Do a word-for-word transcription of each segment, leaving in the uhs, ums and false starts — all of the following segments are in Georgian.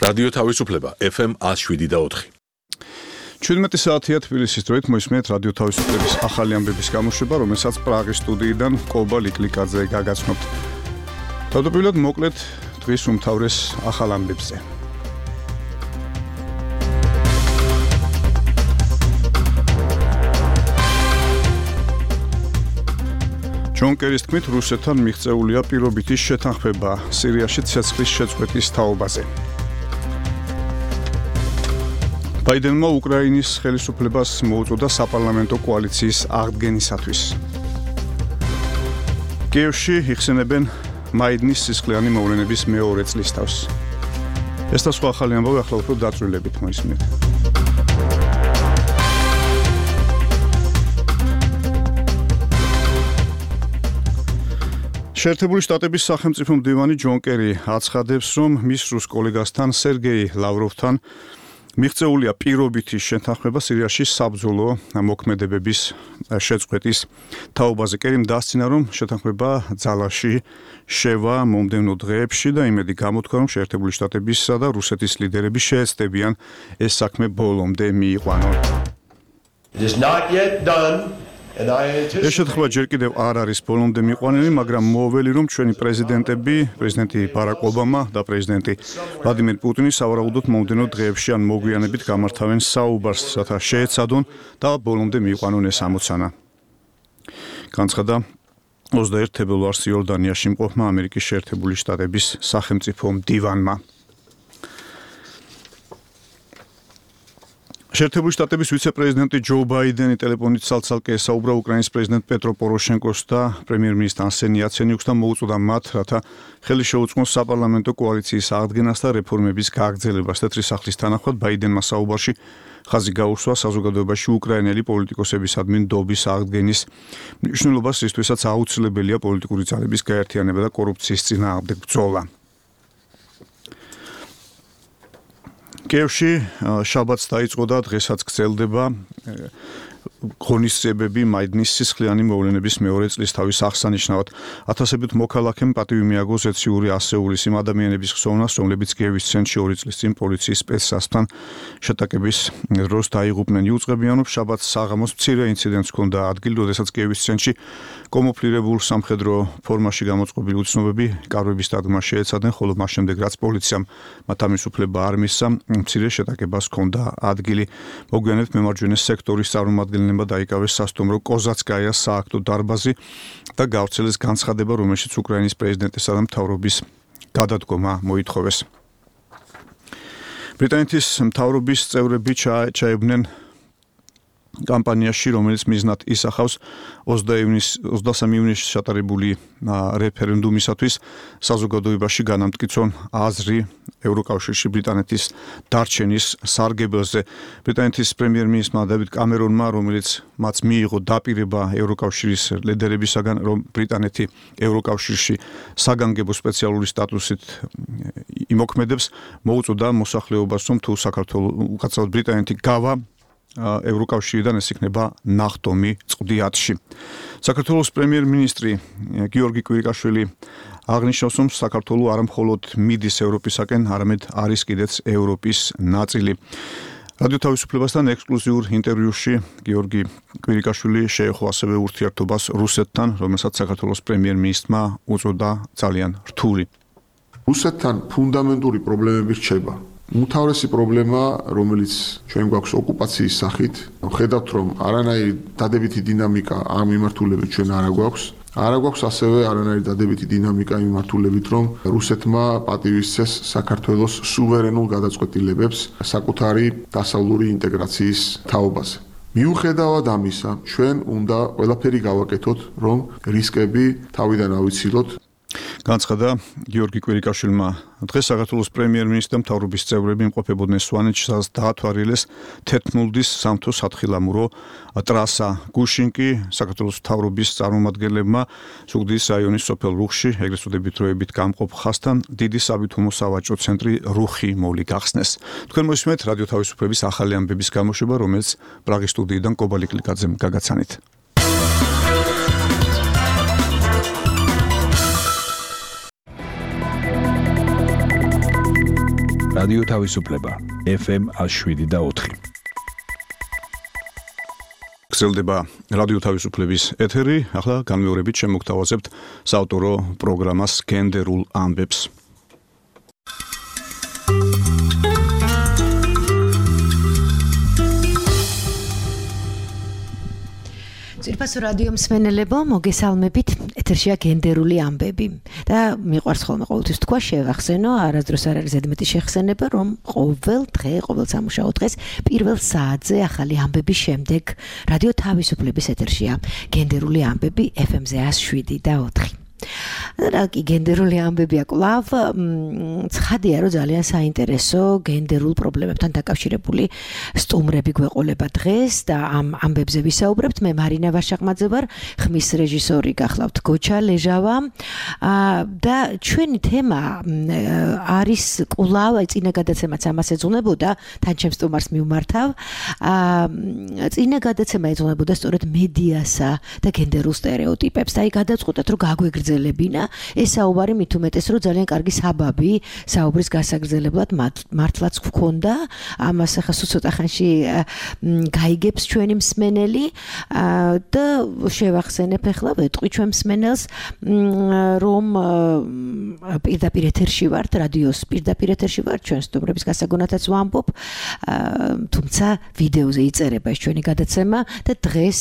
რადიო თავისუფლება ეფ ემ one oh seven point four. ჩვიდმეტი საათია თბილისის დროით მოისმენთ რადიო თავისუფლების ახალი ამბების გამოშვება, რომელსაც პრაღის სტუდიიდან კობა ლიკლიკაძე გაგაცნობთ. თავდაპირველად მოკლედ დღის უმთავრეს ახალ ამბებზე. ჯონ კერის თქმით, რუსეთთან მიღწეულია პირობითი შეთანხმება სირიაში ცეცხლის შეწყვეტის თაობაზე. ბაიდენმა უკრაინის ხელისუფლებას მოუწოდა საპარლამენტო კოალიციის აღდგენისათვის. კიევში იხსენებენ მაიდნის სისხლიანი მოვლენების მეორე წლისთავს. ეს და სხვა ახალი ამბავი ახლა უფრო დაწვრილებით მოისმენთ. შეერთებული შტატების სახელმწიფო მდივანი ჯონ კერი აცხადებს, რომ მის რუს კოლეგასთან სერგეი ლავროვთან მიღწეულია პირობითი შეთანხმება სირიაში საბრძოლო მოქმედებების შეწყვეტის თაობაზე. კერიმ დასცინა, რომ შეთანხმება ძალაში შევა მომდევნო დღეებში და იმედი გამოთქვა, რომ შეერთებული შტატებისა და რუსეთის ლიდერები შეეცდებიან ეს საქმე ბოლომდე მიიყვანონ. It is not yet done. ეს შეთანხმება ჯერ კიდევ არ არის ბოლომდე მიყვანილი, მაგრამ მოუველი, რომ ჩვენი პრეზიდენტები, პრეზიდენტი ბარაკ ობამა და პრეზიდენტი ვლადიმერ პუტინი სავარაუდოდ მომდევნო დღეებში ან მოგვიანებით გამართავენ საუბარს, რათა შეეცადონ და ბოლომდე მიიყვანონ ეს ამოცანა. განცხადა ოცდაერთი თებერვალს იორდანიაში მყოფმა ამერიკის შეერთებული შტატების სახელმწიფო მდივანმა. შეერთებული შტატების ვიცე-პრეზიდენტი ჯო ბაიდენი ტელეფონით ცალ-ცალკე ესაუბრა უკრაინის პრეზიდენტ პეტრო პოროშენკოს და პრემიერ-მინისტრ არსენი იაცენიუქს და მოუწოდა მათ, რათა ხელი შეუწყონ საპარლამენტო კოალიციის აღდგენას და რეფორმების გაგრძელებას. თეთრი სახლის თანახმად ბაიდენმა საუბარში ხაზი გაუსვა საზოგადოებაში უკრაინელი პოლიტიკოსებისადმი ნდობის აღდგენის მნიშვნელობას, რისთვისაც აუცილებელია პოლიტიკური ძალების გაერთიანება და კორუფციის წინააღმდეგ ბრძოლა. კიევში შაბათს დაიწყო და დღესაც გრძელდება ღონისძიებები მაიდნის სისხლიანი მოვლენების მეორე წლისთავის აღსანიშნავად. ათასობით მოქალაქემ პატივი მიაგო ზეციური ასეულის იმ ადამიანების ხსოვნას, რომლებიც კიევის ცენტრში ორი წლის წინ პოლიციის სპეცსასთან შეტაკების დროს დაიღუპნენ. იუწყებიან, რომ შაბათს საღამოს მცირე ინციდენტს ჰქონდა ადგილი, როდესაც კიევის ცენტრში კომოფლირებულ სამხედრო ფორმაში გამოწყობილი უცნობები კარვების დადგმას შეეცადნენ, ხოლო მას შემდეგ რაც პოლიციამ მათ ამის უფლება არ მისცა, მცირე შეტაკებას ჰქონდა ადგილი. მოგვიანებით მემარჯვენე სექტორის წარმომადგენლებმა დაიკავეს სასტუმრო კოზაცკაიას სააქტო დარბაზი და გავრცელეს განცხადება, რომელშიც უკრაინის პრეზიდენტისა და მთავრობის გადადგომა მოითხოვეს. ბრიტანეთის მთავრობის წევრები ჩაებდნენ კამპანიაში, რომელიც მიზნად ისახავს ოცდასამი ივნისში ჩატარებული რეფერენდუმისათვის საზოგადოებაში განამტკიცონ აზრი ევროკავშირში ბრიტანეთის დარჩენის სარგებელზე. ბრიტანეთის პრემიერ-მინისტრმა დევიდ კამერონმა, რომელიც მას მიიღო დაპირება ევროკავშირის ლიდერებისაგან, რომ ბრიტანეთი ევროკავშირში საგანგებო სპეციალური სტატუსით იმოქმედებს, მოუწოდა მოსახლეობას, რომ თუ საქართველოს უკაცრავად ბრიტანეთი გავა ევროკავშირიდან, ეს იქნება ნახტომი წვდიათში. საქართველოს პრემიერ-მინისტრი გიორგი კვირიკაშვილი აღნიშნავს, რომ საქართველო არა მხოლოდ მიდის ევროპისაკენ, არამედ არის კიდეც ევროპის ნაწილი. რადიო თავისუფლებასთან ექსკლუზიურ ინტერვიუში გიორგი კვირიკაშვილი შეეხო ასევე ურთიერთობას რუსეთთან, რომელსაც საქართველოს პრემიერ-მინისტრმა უწოდა ძალიან რთული. რუსეთთან ფუნდამენტური პრობლემები რჩება. უმთავრესი პრობლემა, რომელიც ჩვენ გვაქვს ოკუპაციის სახით, ხედავთ, რომ არანაირი დადებითი დინამიკა ამ მიმართულებით ჩვენ არ გვაქვს. არ გვაქვს ასევე არანაირი დადებითი დინამიკა იმ მიმართულებით, რომ რუსეთმა პატივისცეს საქართველოს სუვერენულ გადაწყვეტილებებს საკუთარი დასავლური ინტეგრაციის თაობაზე. მიუხედავად ამისა, ჩვენ უნდა ყველაფერი გავაკეთოთ, რომ რისკები თავიდან ავიცილოთ. განცხადა გიორგი კვირიკაშვილმა. დღეს საქართველოს პრემიერ-მინისტრი და მთავრობის წევრები იმყოფებოდნენ სვანეთში, სადაც დაათვალიერეს თეთრმულდის სამთო სათხილამურო ტრასა. გუშინკი საქართველოს მთავრობის წარმომადგენლებმა ზუგდიდის რაიონის სოფელ რუხში, ეგრეთ წოდებით დროებით გამყოფ ხასთან დიდი საბითუმო სავაჭრო ცენტრი რუხი მოვლი გახსნეს. თქვენ მოისმენთ რადიო თავისუფლების ახალი ამბების გამოშვება, რომელიც პრაღის სტუდიიდან კობა ლიკლიკაძემ გაგაცანით. რადიო თავისუფლება ეფ ემ one oh seven და four. გრძელდება რადიო თავისუფლების ეთერი, ახლა განმეორებით შემოგთავაზებთ საავტორო პროგრამას გენდერულ ამბებს. ძირფასო რადიო მსმენელებო, მოგესალმებით. ეთერშია გენდერული ამბები და მიყვარს ხოლმე ყოველთვის თქვა შევახსენო, არასდროს არ არის ზედმეტი შეხსენება, რომ ყოველ დღე, ყოველ სამუშაო დღეს პირველ საათზე ახალი ამბების შემდეგ რადიო თავისუფლების ეთერშია გენდერული ამბები ეფ ემ-ზე one oh seven და four. რა კი გენდერული ამბებია კვლავ ცხადია რომ ძალიან საინტერესო გენდერულ პრობლემებთან დაკავშირებული სტუმრები გვეყოლება დღეს და ამ ამბებზე ვისაუბრებთ. მე მარინა ვაშაყმაძე ვარ, ხმის რეჟისორი გახლავთ გოჩა ლეჟავა და ჩვენი თემა არის კვლავ წინა გადაცემაც ამას ეძღვნებოდა, თან ჩემს სტუმარს მივმართავ. წინა გადაცემა ეძღვნებოდა სწორედ მედიასა და გენდერულ სტერეოტიპებს და აი გადაწყვეტეთ რომ გაგვეგრძელებინა ეს საუბარი მით უმეტეს რომ ძალიან კარგი საბაბი საუბრის გასაგრძელებლად მართლაც გვქონდა. ამას ახლა სულ ცოტა ხანში გაიგებს ჩვენი მსმენელი და შევახსენებ ახლა ვეტყვი ჩვენ მსმენელს რომ პირდაპირ ეთერში ვართ, რადიოს პირდაპირ ეთერში ვართ, ჩვენ სტუმრების გასაგონათაც ვამბობ, თუმცა ვიდეოზე იწერება ეს ჩვენი გადაცემა და დღეს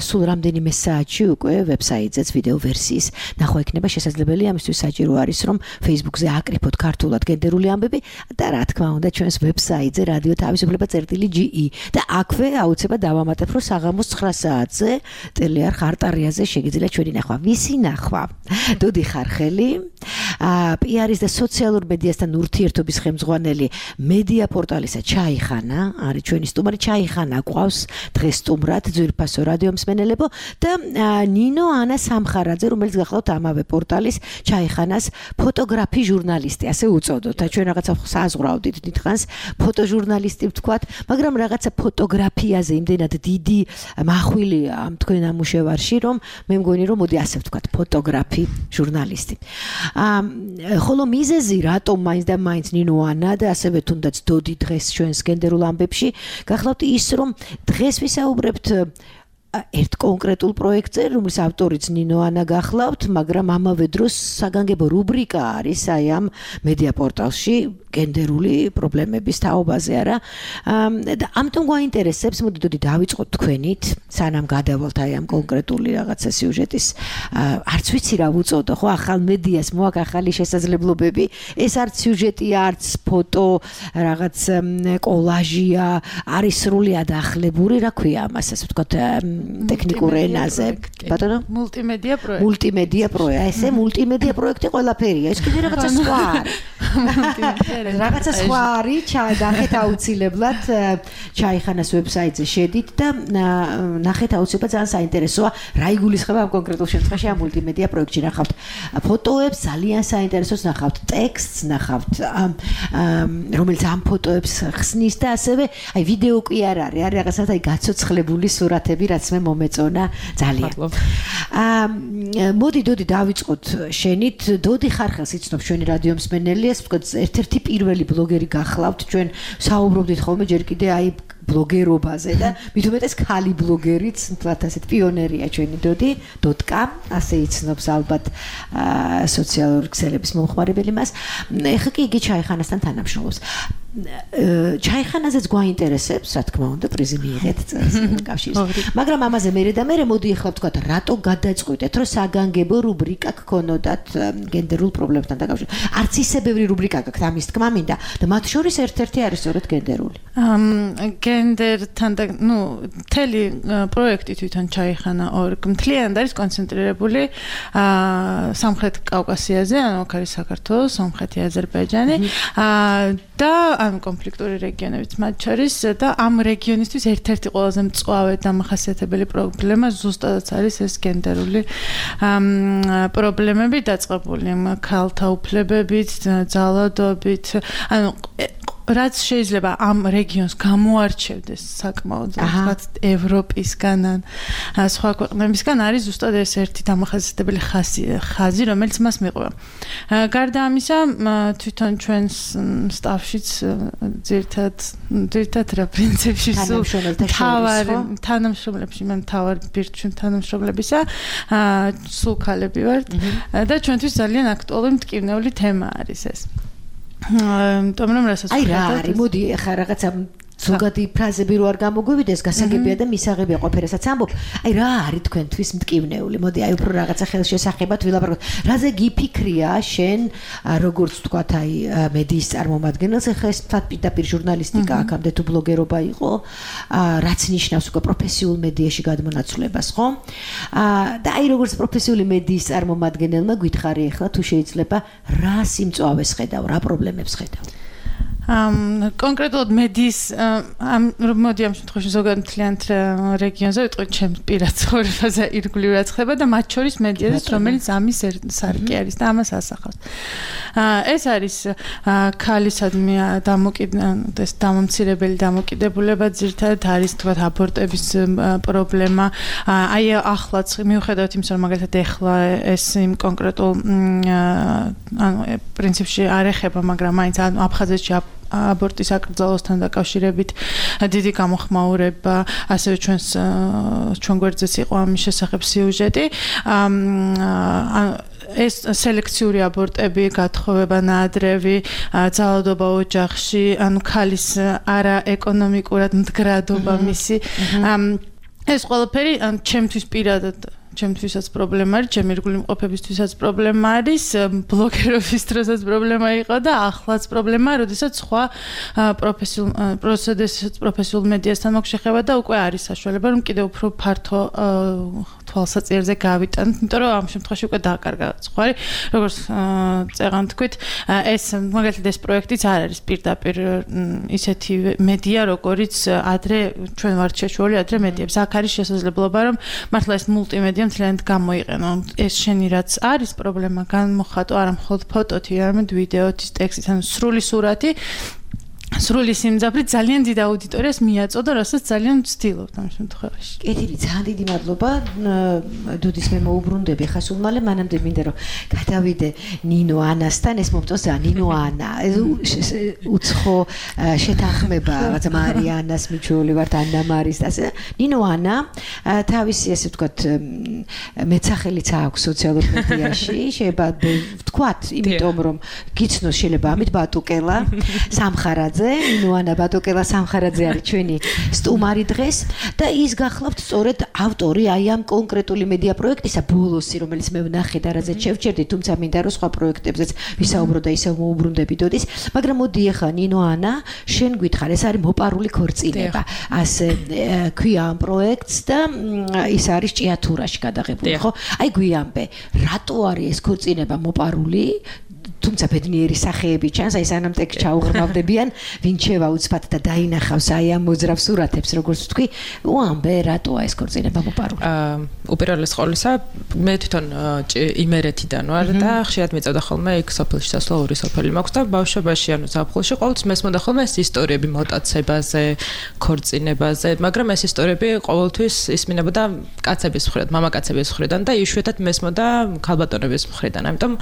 სულ რამდენიმე საათში უკვე ვებსაიტზეც ვიდეო ვერსიის ნახვა იქნება შესაძლებელი. ამისთვის საჭირო არის რომ Facebook-ზე აკრიფოთ ქართულად გენდერული ამბები და რა თქმა უნდა ჩვენს ვებსაიტზე რადიო თავისუფლება წერტილი ჯი ი და აქვე აუცილებლად დავამატებ რომ საღამოს nine საათზე ტელეარხ არტარიაზე შეგიძლიათ ჩვენი ნახვა. ვისი ნახვა? დოდი ხარხელი, პი არის და სოციალურ მედიასთან ურთიერთობის ხელმძღვანელი მედია პორტალისა ჩაიხანა არის ჩვენი სტუმარი. ჩაიხანა გვყავს დღეს სტუმრად, ძვირფასო რადიო მსმენელებო, და ნინო ანა სამხარაძე, რომელიც გახლავთ ამავე პორტალის ჩაიხანას ფოტოგრაფი ჟურნალისტი, ასე უწოდოთ. და ჩვენ რაღაცა საზღვრავდით დიდხანს ფოტოჟურნალისტი ვთქვათ, მაგრამ რაღაცა ფოტოგრაფიაზე იმდენად დიდი მახვილია ამ თქვენ ამუშევარში, რომ მე მგონი რომ მოდი ასე ვთქვათ, ფოტოგრაფი ჟურნალისტი. ხოლო მიზეზი რატომ მაინც და მაინც ნინო ანა და ასევე თუნდაც დოდი დღეს ჩვენს გენდერულ ამბებში გახლავთ ის, რომ დღეს ვისაუბრებთ ერთ კონკრეტულ პროექტზე, რომლის ავტორიც ნინო ანა გახლავთ, მაგრამ ამავე დროს საგანგებო რუბრიკა არის აი ამ მედია პორტალში გენდერული პრობლემების თაობაზე, არა? და ამიტომ გვაინტერესებს, მოდი დოდი დავიწყოთ თქვენით, სანამ გადავალთ აი ამ კონკრეტული რაღაცა სიუჟეტის, არც ვიცი რა ვუწოდო, ხო, ახალ მედიას მოაქვს ახალი შესაძლებლობები, ეს არც სიუჟეტია, არც ფოტო, რაღაც კოლაჟია, არის სრულიად ახლებური, რა ქვია ამას, ასე ვთქვათ, ტექნიკურ ენაზე. ბატონო? მულტიმედია პროექტი. მულტიმედია პროექტი. ესე მულტიმედია პროექტი ყველაფერია. ეს კიდე რაღაცა სხვა არის. რაღაცა სხვა არის, ნახეთ აუცილებლად ჩაიხანას ვებსაიტზე შედით და ნახეთ აუცილებლად, ძალიან საინტერესოა რა იგულისხმება ამ კონკრეტულ შემთხვევაში ამ მულტიმედია პროექტში. ნახავთ ფოტოებს, ძალიან საინტერესოს, ნახავთ ტექსტს, ნახავთ რომელიც ამ ფოტოებს ხსნის და ასევე აი ვიდეო კი არ არის, არის რაღაცა აი გაცოცხლებული სურათები, რაც მე მომეწონა ძალიან. აა მოდი დოდი დავიწყოთ შენით. დოდი ხარხელს იცნობს ჩვენი რადიო მსმენელიას, ერთ-ერთი პირველი ბლოგერი გახლავთ, ჩვენ საუბრობდით ხოლმე ჯერ კიდე აი ბლოგერობაზე და მით უმეტეს ქალი ბლოგერიც, თლათ ასეთ პიონერია ჩვენი დოდი, დოტკა, ასე იცნობს ალბათ სოციალური ქსელების მომხმარებელი მას. ეხლა კი იგი ჩაიხანასთან თანამშრომლობს. ჩაიხანაზეც გვაინტერესებს, რა თქმა უნდა, პრიზი მიიღეთ წელს კავშირის. მაგრამ ამაზე მერე და მერე მოდი ახლა ვთქვათ, რატო გადაწყვიტეთ, რომ საგანგებო რუბრიკა გქონოდათ გენდერულ პრობლემებთან დაკავშირებით. არც ისე ბევრი რუბრიკა გაქვთ, ამის თქმა მინდა და მათ შორის ერთ-ერთი არის სწორედ გენდერული. გენდერთან და ნუ მთელი პროექტი თვითონ ჩაიხანა ორ მთლიანად არის კონცენტრირებული სამხრეთ კავკასიაზე, ანუ აქ არის საქართველო, სომხეთი, აზერბაიჯანი და ამ კონფლიქტური რეგიონებიც მათ შორის და ამ რეგიონისთვის ერთ-ერთი ყველაზე მწვავე დამახასიათებელი პრობლემა ზუსტადაც არის ეს გენდერული პრობლემები დაწყებული ქალთა უფლებებით, ძალადობით, ანუ რაც შეიძლება ამ რეგიონს გამოარჩევდეს საკმაოდ რაღაც ევროპისგან ან სხვა ქვეყნებისგან არის ზუსტად ეს ერთი დამახასიათებელი ხაზი, ხაზი, რომელიც მას მიყვება. გარდა ამისა, თვითონ ჩვენს სტაფშიც ძირთად ძირთად რა პრინციპში სულ თავარი თანამშრომლებში მე თავარ ბირჩვი თანამშრომლებისა სულ ქალები ვართ და ჩვენთვის ძალიან აქტუალური მტკივნეული თემა არის ეს. იმიტომ რომ რასაც აი რა არის მოდი ახლა რაღაცა ზოგადი ფრაზები რო არ გამოგვივიდეს გასაგებია და მისაღებია ყოფერასაც ამბობ აი რა არის თქვენთვის მტკივნეული მოდი აი უფრო რაღაცა ხელშესახებად ვილაპარაკოთ რაზე გიფიქრია შენ როგორც თქვათ აი მედიის წარმომადგენელს ახლა ეს პირდაპირ ჟურნალისტიკა აქამდე თუ ბლოგერობა იყო რაც ნიშნავს უკვე პროფესიულ მედიაში გადმონაცვლებას ხო და აი როგორც პროფესიული მედიის წარმომადგენელმა გითხარი ახლა თუ შეიძლება რა სიმწვავეს ხედავ რა პრობლემებს ხედავ ამ კონკრეტულად მედიის ამ მოდი ამ შემთხვევაში ზოგადად მთლიანად რეგიონზე ვიტყვი ჩემს პირად ცხოვრებაზე ირგვლივად ხდება და მათ შორის მედიაზეც რომელიც ამის სარკე არის და ამას ასახავს. ეს არის ქალისადმი დამოკიდებული ეს დამამცირებელი დამოკიდებულება ძირთადად არის თქვათ აბორტების პრობლემა. აი ახლაც მიუხედავად იმისა რომ მაგალითად ეხლა ეს იმ კონკრეტულ ანუ პრინციპში არ ეხება მაგრამ მაინც აფხაზეთში აბორტის აკრძალვასთან დაკავშირებით დიდი გამოხმაურება, ასევე ჩვენს ჩვენ გვერდზეც იყო ამის შესახებ სიუჟეტი. ეს სელექციური აბორტები, გათხოვება ნაადრევი, ძალადობა ოჯახში, ანუ ქალის არა ეკონომიკურად მდგრადობა მისი. ეს ყველაფერი ჩემთვის პირადად ჩემთვისაც პრობლემა არის, ჩემი ირგვლივ მყოფებისთვისაც პრობლემა არის, ბლოგერობის დროსაც პრობლემა იყო და ახლაც პრობლემაა, როდესაც სხვა პროფესიულ პროცედურებსაც პროფესიულ მედიასთან მაქვს შეხება და უკვე არის საშუალება, რომ კიდევ უფრო ფართო თვალსაჩინზე გავიტანოთ, იმიტომ რომ ამ შემთხვევაში უკვე დააკარგა სხვარი, როგორც წეღან თქვით, ეს მაგალითად ეს პროექტიც არ არის პირდაპირ ისეთი მედია, როგორიც ადრე ჩვენ ვართ შეშუალებული ადრე მედიებს. აქ არის შესაძლებლობა, რომ მართლა ეს მულტიმედია მთლიანად გამოიყენო. ეს შენი რაც არის პრობლემა, განმოხატო არა მხოლოდ ფოტოთი, არამედ ვიდეოთი, ტექსტით, ანუ სრული სურათი სრული სიმძაფრით ძალიან დიდ აუდიტორიას მიაწოდა, რასაც ძალიან ვცდილობთ ამ შემთხვევაში. კეთილი, ძალიან დიდი მადლობა. დუდის მე მოუბრუნდები ხა სულ მალე, მანამდე მინდა რომ გადავიდე ნინო ანასთან, ეს მომწონს და ნინო ანა. უცხო შეთანხმება, რაღაცა მარიანას მიჩვეული ვართ, ანა მარის და ასე. ნინო ანა თავისი ასე ვთქვათ მეცახელიც აქვს სოციალურ მედიაში, შეიძლება ვთქვათ, იმიტომ რომ გიცნოს შეიძლება ამით ბატუკელა, სამხარაძე ნინოანა ბატოკელა სამხარაძე არის ჩვენი სტუმარი დღეს და ის გახლავთ სწორედ ავტორი აი ამ კონკრეტული მედია პროექტისა ბოლოსი რომელიც მე ვნახე და რაზეც შევჩერდი თუმცა მინდა რომ სხვა პროექტებზეც ვისაუბრო და ისევ მოუბრუნდები დოდის მაგრამ მოდი ახლა ნინოანა შენ გითხარ ეს არის მოპარული ქორწინება ასე ქვია ამ პროექტს და ის არის ჭიათურაში გადაღებული ხო აი გვიამბე რატო არის ეს ქორწინება მოპარული თუმცა ბედნიერი სახეები ჩანს, აი სანამ ტექს ჩაუღრმავდებიან, ვინ შევა უცბად და დაინახავს აი ამ მოძრავ სურათებს, როგორც ვთქვი, უამბე რატოა ეს ქორწინება მოპარული. აა უპირველეს ყოვლისა, მე თვითონ იმერეთიდან ვარ და ხშირად მეწევდა ხოლმე იქ სოფელში სასვლა ორი სოფელი მაქვს და ბავშვობაში ანუ ზაფხულში ყოველთვის მესმოდა ხოლმე ეს ისტორიები მოტაცებაზე, ქორწინებაზე, მაგრამ ეს ისტორიები ყოველთვის ისმინებოდა კაცების მხრიდან, მამაკაცების მხრიდან და იშვიათად მესმოდა ქალბატონების მხრიდან. ამიტომ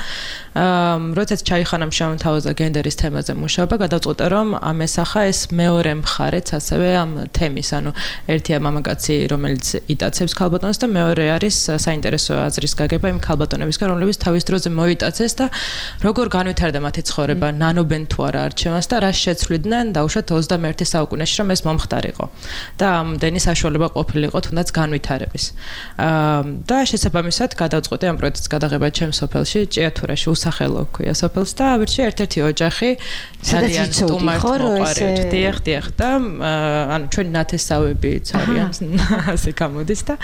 აა როდესაც ჩაიხანამ შემოთავაზა გენდერის თემაზე მუშაობა, გადავწყვიტე რომ ამ ესახა ეს მეორე მხარეც ასევე ამ თემის, ანუ ერთია მამაკაცი, რომელიც იტაცებს ქალბატონს და მეორე არის საინტერესო აზრის გაგება იმ ქალბატონებისგან, რომლებიც თავის დროზე მოიტაცეს და როგორ განვითარდა მათი ცხოვრება, ნანობენ თუ არა არჩევანს და რა შეცვლიდნენ დაუშვათ ოცდამეერთე საუკუნეში, რომ ეს მომხდარიყო და ამდენი საშუალება ყოფილიყო თუნდაც განვითარების. და შესაბამისად გადავწყვიტე ამ პროექტის გადაღება ჩემს სოფელში, ჭიათურაში უსახელო ქვია სოფელს და ავირჩიე ერთ-ერთი ოჯახი ძალიან სტუმართ მოყარეთ. დიახ, დიახ და ანუ ჩვენი ნათესავებიც არიან ასე გამოდის და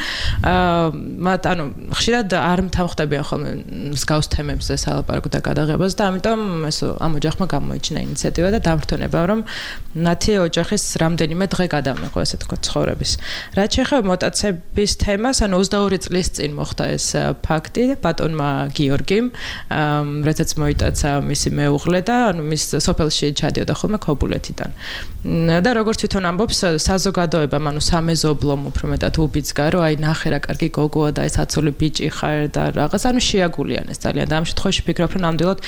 მათ ანუ ხშირად არ მთავხდებიან ხოლმე მსგავს თემებზე სალაპარაკო და გადაღებას და ამიტომ ეს ამ ოჯახმა გამოიჩინა ინიციატივა და დამრთონება რომ მათი ოჯახის რამდენიმე დღე გადამეყო ესე თქვა ცხოვრების. რაც შეეხება მოტაცების თემას, ანუ ოცდაორი წლის წინ მოხდა ეს ფაქტი ბატონმა გიორგიმ, როდესაც მოიტა რომელსაც მისი მეუღლე და ანუ მის სოფელში ჩადიოდა ხოლმე ქობულეთიდან. და როგორც თვითონ ამბობს, საზოგადოება, ანუ სამეზობლომ უფრო მეტად უბიძგა, რომ აი ნახე რა კარგი გოგოა და ეს აცოლი ბიჭი ხარ და რაღაც, ანუ შეაგულიანეს ძალიან. და ამ შემთხვევაში ფიქრობ, რომ ნამდვილად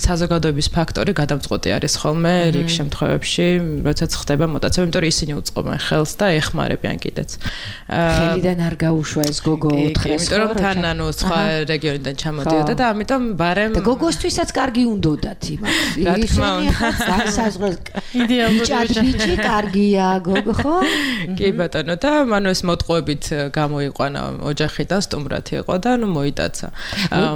საზოგადოების ფაქტორი გადამწყვეტი არის ხოლმე რიგ შემთხვევებში, როდესაც ხდება მოტაცება, იმიტომ რომ ისინი უწყობენ ხელს და ეხმარებიან კიდეც. ხელიდან არ გაუშვა ეს გოგო ოთხ-ას. იმიტომ რომ თან ანუ სხვა რეგიონიდან ჩამოდიოდა და ამიტომ ბარემ და გოგოსთვისაც კარგი უნდოდათ იმას. რა თქმა უნდა. სასაზღვროს იდეალური ბიჭი კარგია გოგო ხო? კი ბატონო და მანუ ეს მოტყუებით გამოიყვანა ოჯახიდან სტუმრად იყო და ნუ მოიტაცა.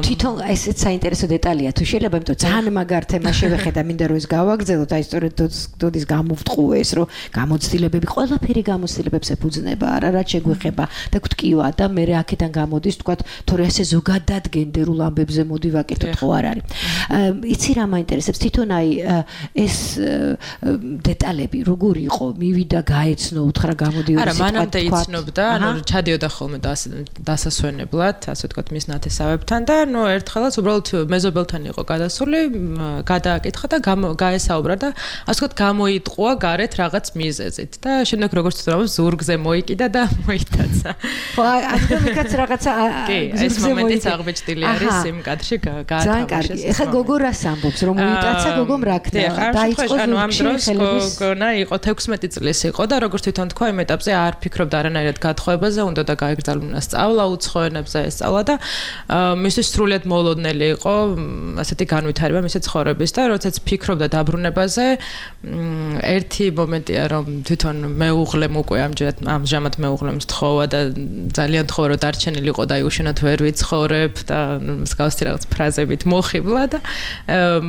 თვითონ ესეც საინტერესო დეტალია თუ შეიძლება, იმიტომ ძალიან მაგარ თემა შევეხედა, მინდა რომ ეს გავაგრძელოთ, აი სწორედ დოდის გამოვტყუეს, რომ გამოცდილებები, ყველაფერი გამოცდილებებს ეფუძნება, არა რაც შეგვეხება და გვტკივა და მე აქედან გამოდის, თქვათ, თორე ასე ზოგადად გენდერულ ამბებზე მოდი ვაკეთოთ, ხო არ არის. იცი რა მაინტერესებს, თვითონ აი ეს დეტალები როგორ იყო, მივიდა, გაეცნო, უთხრა გამოდიოდა სიტყვა. არა, მანამდე იცნობდა, ანუ ჩადიოდა ხოლმე დასასვენებლად, ასე ვთქვათ, მის ნათესავებთან და ნუ ერთხელაც უბრალოდ მეზობელთან იყო გადასული, გადააკითხა და გაესაუბრა და ასე ვთქვათ, გამოიტყუა გარეთ რაღაც მიზეზით და შემდეგ როგორც თვითონ ზურგზე მოიკიდა და მოიტაცა. ხო, ამიტომ იქაც რაღაცა კი, ეს მომენტიც აღბეჭდილი არის იმ კადრში გაათავისუფლეს. ძალიან კარგი. ეხლა გოგო რას ამბობს, რომ მოიტაცა გოგომ რა ქნა? დაიწყო ანუ ამ დროს გოგონა იყო თექვსმეტი წლის იყო და როგორც თვითონ თქვა, იმ ეტაპზე არ ფიქრობდა არანაირად გათხოვებაზე, უნდა და გაეგრძალუნა სწავლა უცხო ენებზე ესწავლა და მისთვის სრულიად მოლოდნელი იყო ასეთი განვითარება მისი ცხოვრების და როდესაც ფიქრობდა დაბრუნებაზე, ერთი მომენტია რომ თვითონ მეუღლემ უკვე ამჯერად ამჟამად მეუღლემ სთხოვა და ძალიან თხოვა რომ დარჩენილი იყო და აი უშენოდ ვერ ვიცხოვრებ და მსგავსი რაღაც ფრაზებით მოხიბლა და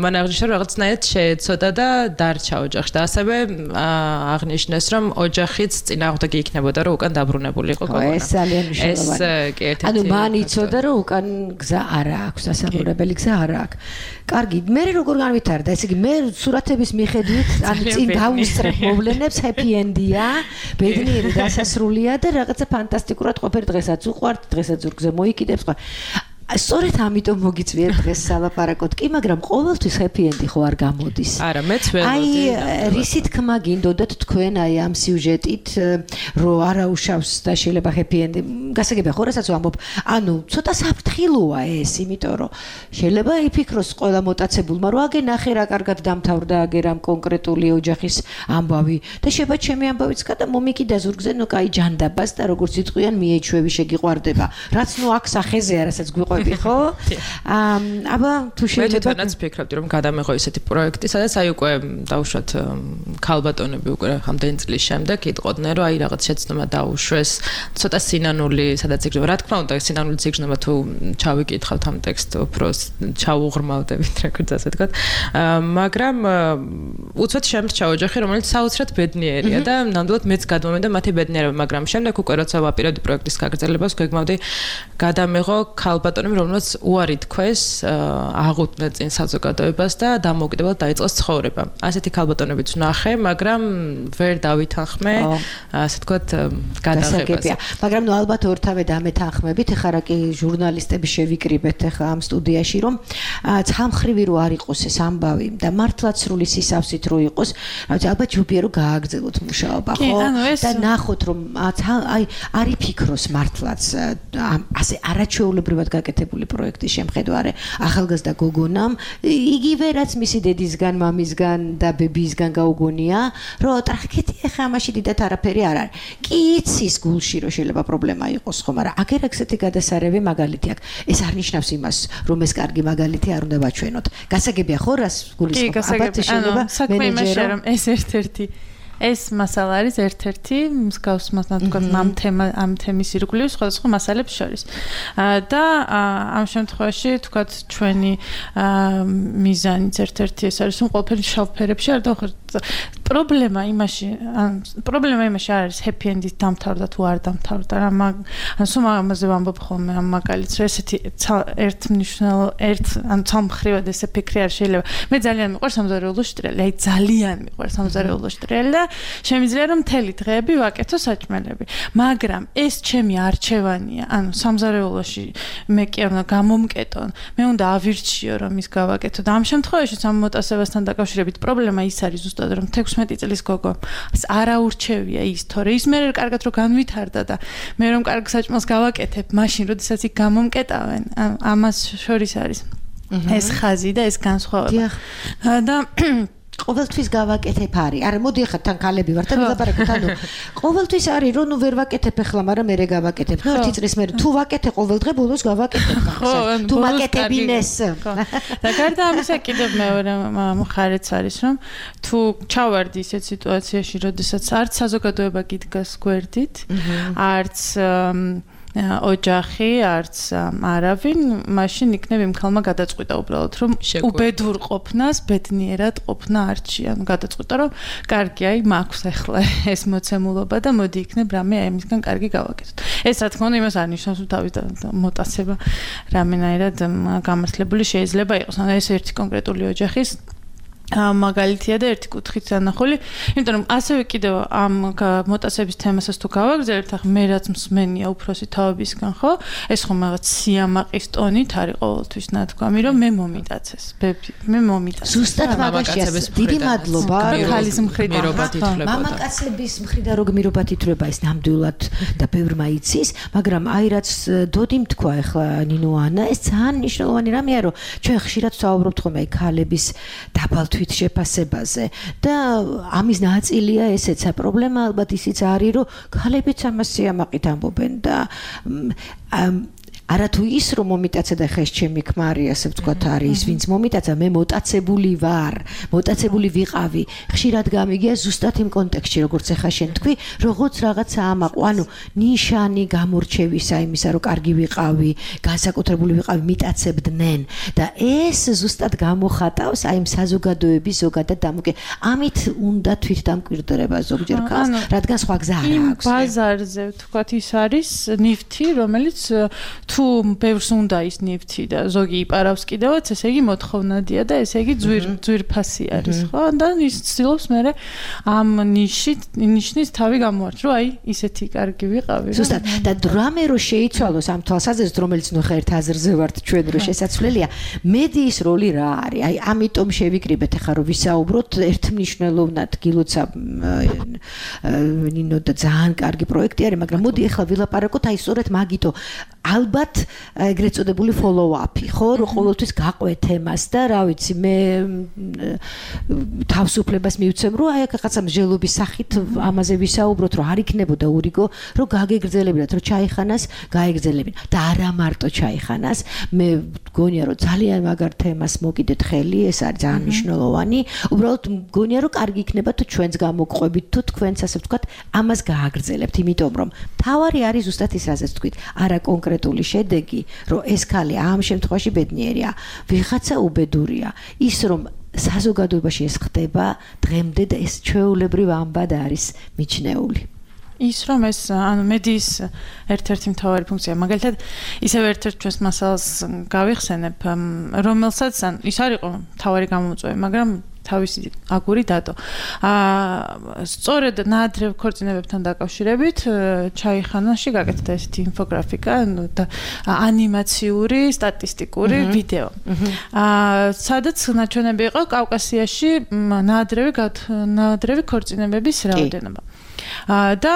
მან აღნიშნა რომ რაღაცნაირად შეეცოდა და დარჩა ოჯახში და ასევე აღნიშნეს რომ ოჯახიც წინააღმდეგი იქნებოდა რომ უკან დაბრუნებული იყო გოგონა. ეს ძალიან მნიშვნელოვანია. ეს კი ერთ-ერთი. ანუ მან იცოდა რომ უკან გზა არ აქვს, დასაბრუნებელი გზა არ აქვს. კარგი, მე როგორ განვითარდა, ესე იგი მე სურათების მიხედვით ან წინ დავუსწრებ მოვლენებს, happy end-ია, ბედნიერი დასასრულია და რაღაცა ფანტასტიკურად ყოფილი დღესაც უყვართ, დღესაც ზურგზე მოიკიდებს სხვა. სწორედ ამიტომ მოგიწვიეთ დღეს სალაპარაკოთ კი, მაგრამ ყოველთვის happy end-ი ხო არ გამოდის. არა, მეც ველოდი. აი, რისი თქმა გინდოდათ თქვენ აი ამ სიუჟეტით, რომ არაუშავს და შეიძლება happy end-ი. გასაგებია ხო, რასაც ვამბობ, ანუ ცოტა საფრთხილოა ეს, იმიტომ რომ შეიძლება იფიქროს ყველა მოტაცებულმა, რომ აგე ნახე რა კარგად დამთავრდა აგე რამ კონკრეტული ოჯახის ამბავი და შეიძლება ჩემი ამბავიც გადა მომიკიდა ზურგზე, ნუ კაი ჯანდაბას და როგორც იტყვიან მიეჩვევი შეგიყვარდება. რაც ნუ აქ სახეზეა, რასაც გვიყვარდება ხო? აბა თუ შეიძლება მე თვითონაც ფიქრობდი რომ გადამეღო ისეთი პროექტი, სადაც აი უკვე დაუშვათ ქალბატონები უკვე რამდენი წლის შემდეგ იტყოდნენ რომ აი რაღაც შეცდომა დაუშვეს, ცოტა სინანული, სადაც იგრძნობა. რა თქმა უნდა, სინანული იგრძნობა თუ ჩავიკითხავთ ამ ტექსტს, უფრო ჩაუღრმავდებით, როგორც ასე ვთქვათ. მაგრამ უცბად შემრჩა ოჯახი, რომელიც საოცრად ბედნიერია და ნამდვილად მეც გადმომენდა მათი ბედნიერება, მაგრამ შემდეგ უკვე როცა ვაპირებდი პროექტის გაგრძელებას, გვეგმავდი გადამეღო ქალბატონები რომელსაც უარი თქვეს, აღუდგნენ წინ საზოგადოებას და დამოუკიდებლად დაიწყეს ცხოვრება. ასეთი ქალბატონებიც ვნახე, მაგრამ ვერ დავითანხმე, ასე ვთქვათ, გადაღებაზე. მაგრამ ნუ ალბათ ორთავე დამეთანხმებით, ეხლა რა კი ჟურნალისტები შევიკრიბეთ ეხლა ამ სტუდიაში, რომ ცალმხრივი რო არ იყოს ეს ამბავი და მართლაც სრული სისავსით რო იყოს, ალბათ ჯობია რომ გააგრძელოთ მუშაობა, ხო? და ნახოთ რომ აი არ იფიქროს მართლაც ასე არაჩვეულებრივად გაკეთებული პროექტის შემხედვარე ახალგაზრდა გოგონამ იგივე რაც მისი დედისგან, მამისგან და ბებიისგან გაუგონია, რომ ტრაქეთი ახლა ამაში დიდად არაფერი არ არის. კი იცის გულში რომ შეიძლება პრობლემა იყოს, ხო, მაგრამ აგერ ეგეთი გადასარევი მაგალითი აქვს. ეს არ ნიშნავს იმას, რომ ეს კარგი მაგალითი არ უნდა ვაჩვენოთ. გასაგებია ხო, რას გულისხმობ? ალბათ შეიძლება მენეჯერი რომ ეს ერთ-ერთი ეს მასალა არის ერთ-ერთი მსგავს მასალად ამ თემა ამ თემის ირგვლივ სხვადასხვა მასალებს შორის. და ამ შემთხვევაში თქვათ ჩვენი მიზანიც ერთ-ერთი ეს არის, რომ ყველაფერი შავ ფერებში არ დავხერთ პრობლემა იმაში, ან პრობლემა იმაში არ არის happy end-ით დამთავრდა თუ არ დამთავრდა. რა მაგ ან სულ ამაზე ვამბობ ხოლმე ამ მაგალითს, რომ ესეთი ერთმნიშვნელო ერთ ან სამხრივად ესე ფიქრი არ შეიძლება. მე ძალიან მიყვარს სამზარეულო შტრიალი, აი ძალიან მიყვარს სამზარეულო შტრიალი და შემიძლია რომ მთელი დღეები ვაკეთო საჭმელები. მაგრამ ეს ჩემი არჩევანია, ანუ სამზარეულოში მე კი არ უნდა გამომკეტონ, მე უნდა ავირჩიო რომ ის გავაკეთო და ამ შემთხვევაში ამ მოტაცებასთან დაკავშირებით პრობლემა ის არის ზუსტად რომ თექვსმეტი წლის გოგო არ აურჩევია ის, თორე ის მე კარგად რომ განვითარდა და მე რომ კარგ საჭმელს გავაკეთებ, მაშინ როდესაც იქ გამომკეტავენ, ამას შორის არის ეს ხაზი და ეს განსხვავება. და ყოველთვის გავაკეთებ არის. არა, მოდი ახლა თან ქალები ვარ და ვილაპარაკოთ, ანუ ყოველთვის არის რომ ნუ ვერ ვაკეთებ ახლა, მაგრამ მე გავაკეთებ. ნუ ერთი წლის მერე თუ ვაკეთე ყოველ დღე ბოლოს გავაკეთებ. თუ მაკეთებინეს. და გარდა ამისა კიდევ მეორე მხარეც არის რომ თუ ჩავარდი ისეთ სიტუაციაში, როდესაც არც საზოგადოება გიდგას გვერდით, არც ოჯახი, არც არავინ, მაშინ იქნებ იმ ხალმა გადაწყვიტა უბრალოდ, რომ უბედურ ყოფნას ბედნიერად ყოფნა არჩია. ანუ გადაწყვიტა, რომ კარგი, აი, მაქვს ახლა ეს მოცემულობა და მოდი იქნებ რამე აი ამისგან კარგი გავაკეთოთ. ეს რა თქმა უნდა იმას არ ნიშნავს, რომ თავის მოტაცება რამენაირად გამართლებული შეიძლება იყოს. ანუ ეს ერთი კონკრეტული ოჯახის მაგალითია და ერთი კუთხით დანახული, იმიტომ რომ ასევე კიდევ ამ მოტაცების თემასაც თუ გავაგრძელებთ, ახლა მე რაც მსმენია უფროსი თავებისგან, ხო? ეს ხომ რაღაც სიამაყის ტონით არის ყოველთვის ნათქვამი, რომ მე მომიტაცეს, ბები, მე მომიტაცეს. ზუსტად მაგაშია. დიდი მადლობა. ხალის მხრიდან მამაკაცების მხრიდან რო გმირობათ ითვლება ეს ნამდვილად და ბევრმა იცის, მაგრამ აი რაც დოდიმ თქვა ახლა ნინო ანა, ეს ძალიან მნიშვნელოვანი რამეა, რომ ჩვენ ხშირად ვსაუბრობთ ხოლმე აი ქალების დაბალ შეფასებაზე და ამის ნაწილია ესეც პრობლემა ალბათ ისიც არის რომ ქალებიც ამას სიამაყით ამბობენ და არათუ ის რომ მომიტაცე და ხეს ჩემი ქმარი ასე ვთქვათ არის ვინც მომიტაცა მე მოტაცებული ვარ მოტაცებული ვიყავი ხშირად გამიგია ზუსტად იმ კონტექსტში როგორც ახლა შენ თქვი როგორც რაღაცა ამაყო ანუ ნიშანი გამორჩევისა იმისა რომ კარგი ვიყავი განსაკუთრებული ვიყავი მიტაცებდნენ და ეს ზუსტად გამოხატავს აი იმ საზოგადოების ზოგადად დამოკიდ ამით უნდა თვითდამკვირვება ზოგჯერ ქალს რადგან სხვა გზა არ აქვს იმ ბაზარზე ვთქვათ ის არის ნივთი რომელიც თუ ბევრს უნდა ის ნივთი და ზოგი იპარავს კიდევაც, ესე იგი მოთხოვნადია და ესე იგი ძვირ ძვირფასი არის, ხო? და ის ცდილობს მე ამ ნიშით ნიშნის თავი გამოარჩ, რომ აი ისეთი კარგი ვიყავი. ზუსტად და დრამე რო შეიცვალოს ამ თვალსაზრისით, რომელიც ნუ ხა ერთ აზრზე ვართ ჩვენ რო შესაძლებელია, მედიის როლი რა არის? აი ამიტომ შევიკრიბეთ ახლა რომ ვისაუბროთ ერთმნიშვნელოვნად გილოცა ნინო და ძალიან კარგი პროექტი არის, მაგრამ მოდი ახლა ვილაპარაკოთ აი სწორედ მაგითო ალბათ ეგრეთ წოდებული follow-up-ი, ხო, რომ ყოველთვის გაყვე თემას და რა ვიცი, მე თავისუფლებას მივცემ, რომ აი რაღაცა მსჯელობის სახით ამაზე ვისაუბროთ, რომ არ იქნებოდა ურიგო, რომ გაგეგრძელებინათ, რომ ჩაიხანას, გაეგრძელებინათ და არა მარტო ჩაიხანას, მე მგონია, რომ ძალიან მაგარ თემას მოკიდეთ ხელი, ეს არის ძალიან მნიშვნელოვანი, უბრალოდ მგონია, რომ კარგი იქნება თუ ჩვენც გამოგყვებით, თუ თქვენც ასე ვთქვათ, ამას გააგრძელებთ, იმიტომ რომ თავარი არის ზუსტად ის, რაზეც თქვით, არა კონკრეტული შედეგი, რომ ეს ქალი ამ შემთხვევაში ბედნიერია, ვიღაცა უბედურია. ის რომ საზოგადოებაში ეს ხდება დღემდე და ეს ჩვეულებრივ ამბად არის მიჩნეული. ის რომ ეს ანუ მედიის ერთ-ერთი მთავარი ფუნქცია, მაგალითად, ისევ ერთ-ერთ ჩვენს მასალას გავიხსენებ, რომელსაც ან ის არ იყო მთავარი გამომწვევი, მაგრამ თავისი აგური დადო. აა სწორედ ნაადრევ ქორწინებებთან დაკავშირებით ჩაიხანაში გაკეთდა ესეთი ინფოგრაფიკა და ანიმაციური, სტატისტიკური ვიდეო. აა სადაც ნაჩვენები იყო კავკასიაში ნაადრევი ნაადრევი ქორწინებების რაოდენობა. და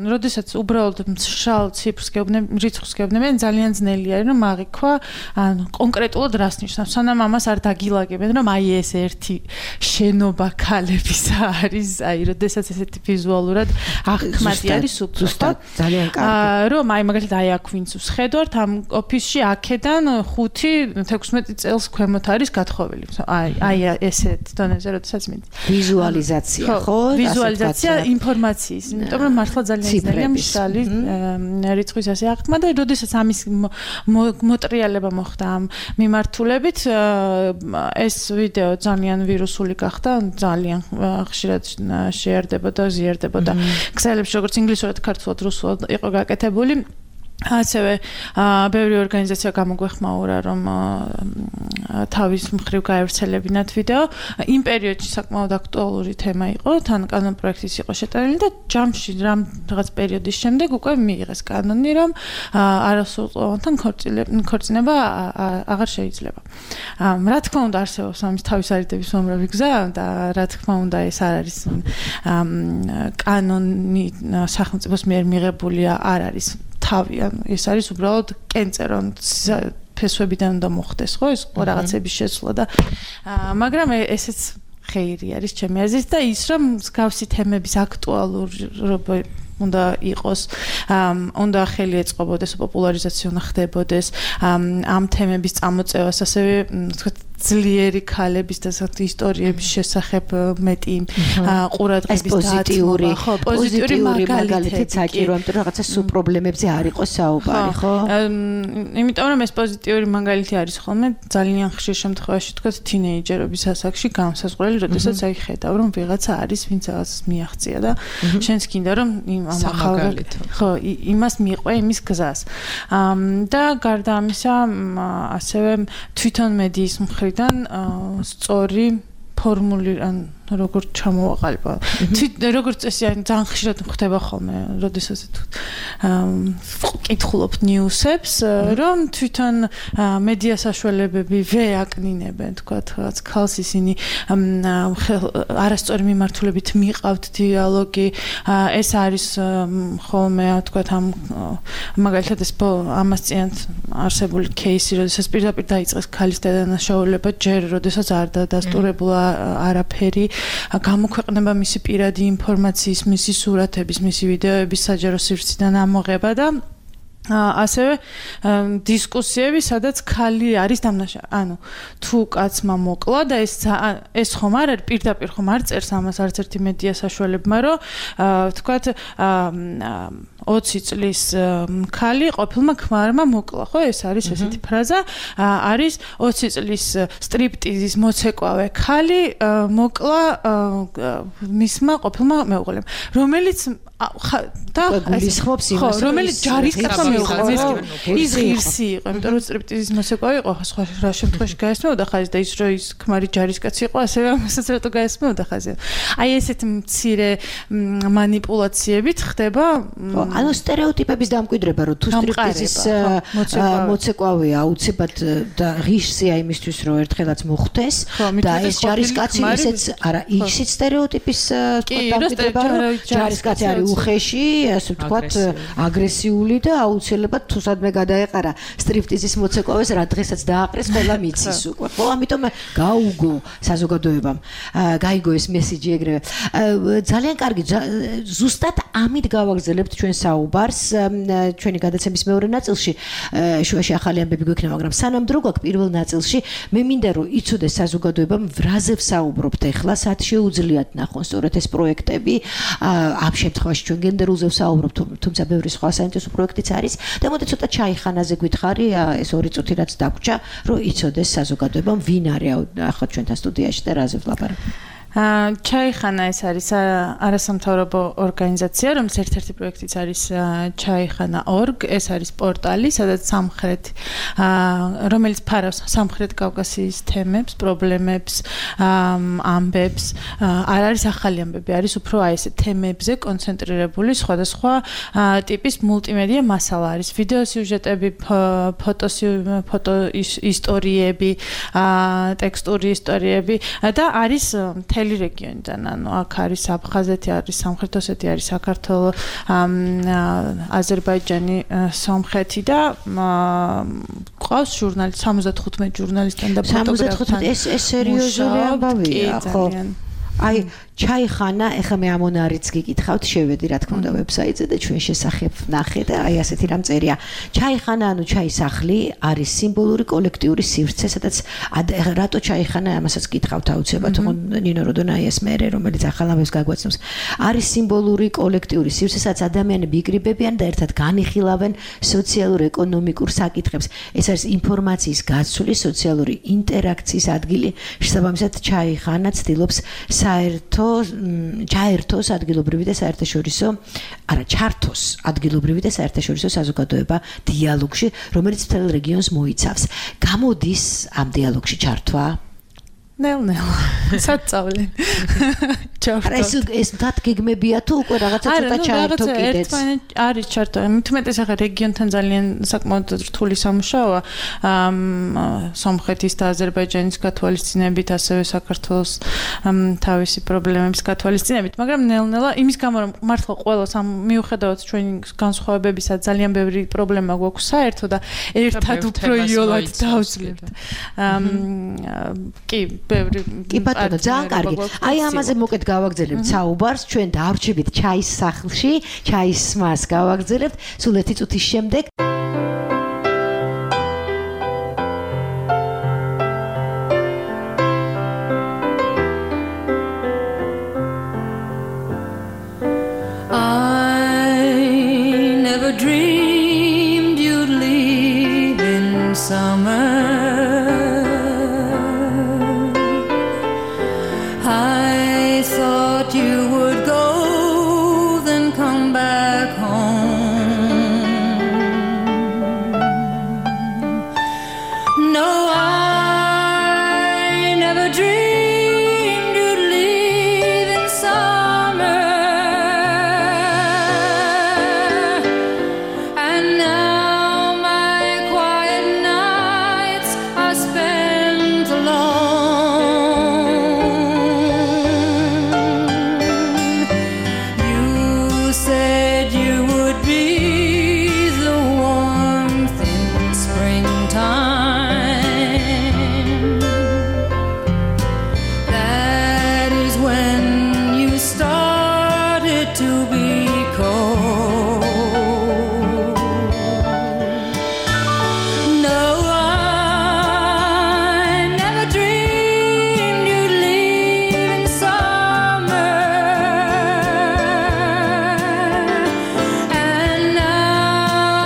როდესაც უბრალოდ მშრალ ციფრს გეუბნები, რიცხვს გეუბნებიან, ძალიან ძნელი არის რომ აღიქვა ან კონკრეტულად რას ნიშნავს. სანამ ამას არ დაგილაგებენ, რომ აი ეს ერთი შენობა ქალების არის, აი როდესაც ესეთი ვიზუალურად აღქმადი არის უბრალოდ ძალიან კარგი. რომ აი მაგალითად აი აქ ვინც ვსხედავთ ამ ოფისში აქედან ხუთი თექვსმეტი წელს ქვემოთ არის გათხოვილი. აი აი ესეთ დონეზე როდესაც მიდის. ვიზუალიზაცია, ხო? ვიზუალიზაცია, ინფორმაცია ინფორმაციის, იმიტომ რომ მართლა ძალიან ძნელია მშრალი რიცხვის ასე აღქმა და როდესაც ამის მოტრიალება მოხდა ამ მიმართულებით ეს ვიდეო ძალიან ვირუსული გახდა, ძალიან ხშირად შეარდებოდა, ზიარდებოდა ქსელებში, როგორც ინგლისურად, ქართულად, რუსულად იყო გაკეთებული. ასევე ბევრი ორგანიზაცია გამოგვეხმაურა რომ თავის მხრივ გაევრცელებინათ ვიდეო. იმ პერიოდში საკმაოდ აქტუალური თემა იყო, თან კანონ პროექტიც იყო შეტანილი და ჯამში რამ რაღაც პერიოდის შემდეგ უკვე მიიღეს კანონი, რომ არასრულყოფილთან ქორწინება აღარ შეიძლება. რა თქმა უნდა არსებობს ამის თავის არიდების უამრავი გზა და რა თქმა უნდა ეს არ არის კანონი სახელმწიფოს მიერ მიღებულია არ არის თავი, ანუ ეს არის უბრალოდ კენწე, რომ ფესვებიდან უნდა მოხდეს, ხო, ეს რაღაცების შეცვლა და მაგრამ ესეც ხეირი არის ჩემი აზრით და ის რომ მსგავსი თემების აქტუალურობა უნდა იყოს, უნდა ხელი ეწყობოდეს, პოპულარიზაცია უნდა ხდებოდეს, ამ თემების წამოწევას, ასევე თქვათ ძლიერი ქალების და საერთოდ ისტორიების შესახებ მეტი ყურადღების დაცვა, ხო, პოზიტიური მაგალითიც საჭირო, იმიტომ რომ რაღაცა სულ პრობლემებზე არ იყოს საუბარი, ხო? იმიტომ რომ ეს პოზიტიური მაგალითი არის ხოლმე ძალიან ხშირ შემთხვევაში თქვათ თინეიჯერობის ასაკში განსაზღვრელი, როდესაც აი ხედავ რომ ვიღაცა არის, ვინც რაღაცას მიაღწია და შენც გინდა რომ ამ ახალ ხო, იმას მიყვე იმის გზას. და გარდა ამისა, ასევე თვითონ მედიის მხრიდან სწორი ფორმული ან როგორ ჩამოვაყალიბა. როგორც წესი ძალიან ხშირად ხდება ხოლმე, როდესაც ვკითხულობთ ნიუსებს, რომ თვითონ მედია საშუალებები ვეაკნინებენ, თქვათ, რაღაც ქალს ისინი არასწორი მიმართულებით მიყავთ დიალოგი, ეს არის ხოლმე, თქვათ, ამ მაგალითად ეს ამასწინათ არსებული кейსი, როდესაც პირდაპირ დაიწყეს ქალის დადანაშაულება, ჯერ როდესაც არ დადასტურებულა არაფერი, გამოქვეყნება მისი პირადი ინფორმაციის, მისი სურათების, მისი ვიდეოების საჯარო სივრციდან ამოღება და ასევე დისკუსიები, სადაც ქალი არის დამნაშავე. ანუ თუ კაცმა მოკლა და ეს ეს ხომ არ არის პირდაპირ ხომ არ წერს ამას არც ერთი მედია საშუალებმა, რომ თქვათ ოცი წლის ქალი ყოფილმა ქმარმა მოკლა, ხო? ეს არის ესეთი ფრაზა, არის ოცი წლის სტრიპტიზის მოცეკვავე ქალი მოკლა მისმა ყოფილმა მეუღლემ, რომელიც და გულისხმობს იმას, რომელიც ჯარისკაცმა მეუღლეს, ის ღირსი იყო, იმიტომ რომ სტრიპტიზის მოცეკვავე იყო, სხვა რა შემთხვევაში გაესმეოდა ხაზი და ის რომ ის ქმარი ჯარისკაცი იყო, ასევე ამასაც რატო გაესმეოდა ხაზი. აი ესეთ მცირე მანიპულაციებით ხდება ანუ სტერეოტიპების დამკვიდრება, რომ თუ სტრიპტიზის მოცეკვავეა აუცილებლად და ღირსია იმისთვის, რომ ერთხელაც მოხდეს და ეს ჯარისკაცი ისეც არა, ისიც სტერეოტიპის დამკვიდრება, რომ ჯარისკაცი არის უხეში, ასე ვთქვათ, აგრესიული და აუცილებლად თუ სადმე გადაეყარა სტრიპტიზის მოცეკვავეს, რა დღესაც დააყრეს, ყველა მიცის უკვე. ხო, ამიტომ გაუგო საზოგადოებამ, გაიგო ეს მესიჯი ეგრევე. ძალიან კარგი, ზუსტად ამით გავაგზავნებთ ჩვენ საუბარს ჩვენი გადაცემის მეორე ნაწილში. შუაში ახალი ამბები გვექნება, მაგრამ სანამ დრო გვაქვს პირველ ნაწილში, მე მინდა რომ იცოდეს საზოგადოებამ ვრაზე ვსაუბრობთ ახლა, სად შეუძლიათ ნახონ სწორედ ეს პროექტები. ამ შემთხვევაში ჩვენ გენდერულზე ვსაუბრობთ, თუმცა ბევრი სხვა საინტერესო პროექტიც არის და მოდი ცოტა ჩაიხანაზე გითხარი ეს ორი წუთი რაც დაგვრჩა, რომ იცოდეს საზოგადოებამ ვინ არის ახლა ჩვენთან სტუდიაში და რაზე ვლაპარაკობთ. ჩაიხანა ეს არის არასამთავრობო ორგანიზაცია, რომლის ერთ-ერთი პროექტიც არის ჩაიხანა ორგ, ეს არის პორტალი, სადაც სამხრეთ რომელიც ფარავს სამხრეთ კავკასიის თემებს, პრობლემებს, ამბებს, არ არის ახალი ამბები, არის უფრო აი ეს თემებზე კონცენტრირებული სხვადასხვა ტიპის მულტიმედია მასალა არის, ვიდეო სიუჟეტები, ფოტო ფოტო ისტორიები, ტექსტური ისტორიები და არის რეგიონიდან, ანუ აქ არის აფხაზეთი, არის სამხრეთ ოსეთი, არის საქართველო, აზერბაიჯანი, სომხეთი და ყავს ჟურნალისტ სამოცდათხუთმეტ ჟურნალისტთან და ფოტოგრაფთან. სამოცდათხუთმეტ ეს ეს სერიოზული ამბავია, ხო? აი ჩაიხანა, ეხლა მე ამონარიც გიკითხავთ, შევედი რა თქმა უნდა ვებსაიტზე და ჩვენ შესახებ ნახე და აი ასეთი რამ წერია. ჩაიხანა, ანუ ჩაისახლი არის სიმბოლური კოლექტიური სივრცე, სადაც რატო ჩაიხანა, ამასაც გითხავთ აუცილებლად, თუმცა ნინო როდონაიას მერე, რომელიც ახალ ამბებს გაგვაცნობს. არის სიმბოლური კოლექტიური სივრცე, სადაც ადამიანები იკრიბებიან და ერთად განიხილავენ სოციალურ-ეკონომიკურ საკითხებს. ეს არის ინფორმაციის გაცვლის, სოციალური ინტერაქციის ადგილი. შესაბამისად, ჩაიხანა ცდილობს საერთო ჩაერთოს ადგილობრივი და საერთაშორისო, არა, ჩართოს ადგილობრივი და საერთაშორისო საზოგადოება დიალოგში, რომელიც მთელ რეგიონს მოიცავს. გამოდის ამ დიალოგში ჩართვა? ნელ-ნელა. საწავლი. არა, ეს ეს თათ გეგმებია თუ უკვე რაღაცა ცოტა ჩაერთო კიდეც? არის ჩართო. მithumetes ახლა რეგიონთან ძალიან საკმაოდ რთული სამუშაოა. სომხეთის და აზერბაიჯანის გათვალისწინებით, ასევე საქართველოს თავისი პრობლემების გათვალისწინებით, მაგრამ ნელ-ნელა იმის გამო რომ მართლა ყველა სამ მიუხედავად ჩვენი განსხვავებებისა ძალიან ბევრი პრობლემა გვაქვს საერთო და ერთად უფრო იოლად დავძლებთ. კი ბევრი კი ბატონო, ძალიან კარგი. აი ამაზე მოკეთ გავაგზავნებთ საუბარს, ჩვენ დავრჩებით ჩაის სახლში, ჩაის მას გავაგზავნებთ სულ ერთი წუთის შემდეგ. I never dreamed you'd leave in summer. I thought you would go, then come back home. No, I never dreamed you'd leave in summer. And now my quiet nights are spent alone. You said you would be the warmth in springtime. That is when you started to be cold. No, I never dreamed you'd leave in summer. And now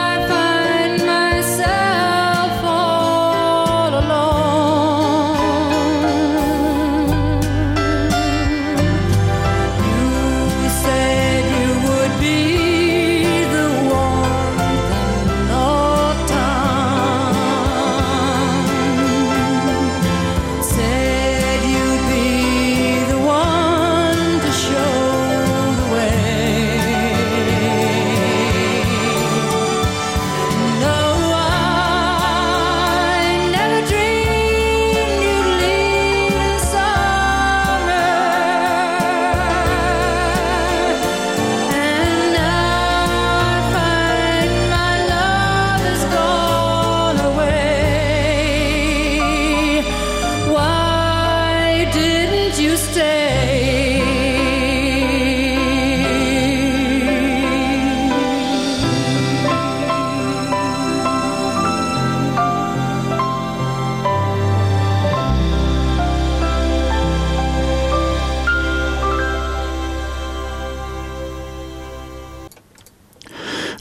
I find myself all alone. You said you would be the warmth in autumn. Said you'd be the one to show the way. No, I never dreamed you'd leave in summer. And now I find my love has gone away. Why didn't you stay?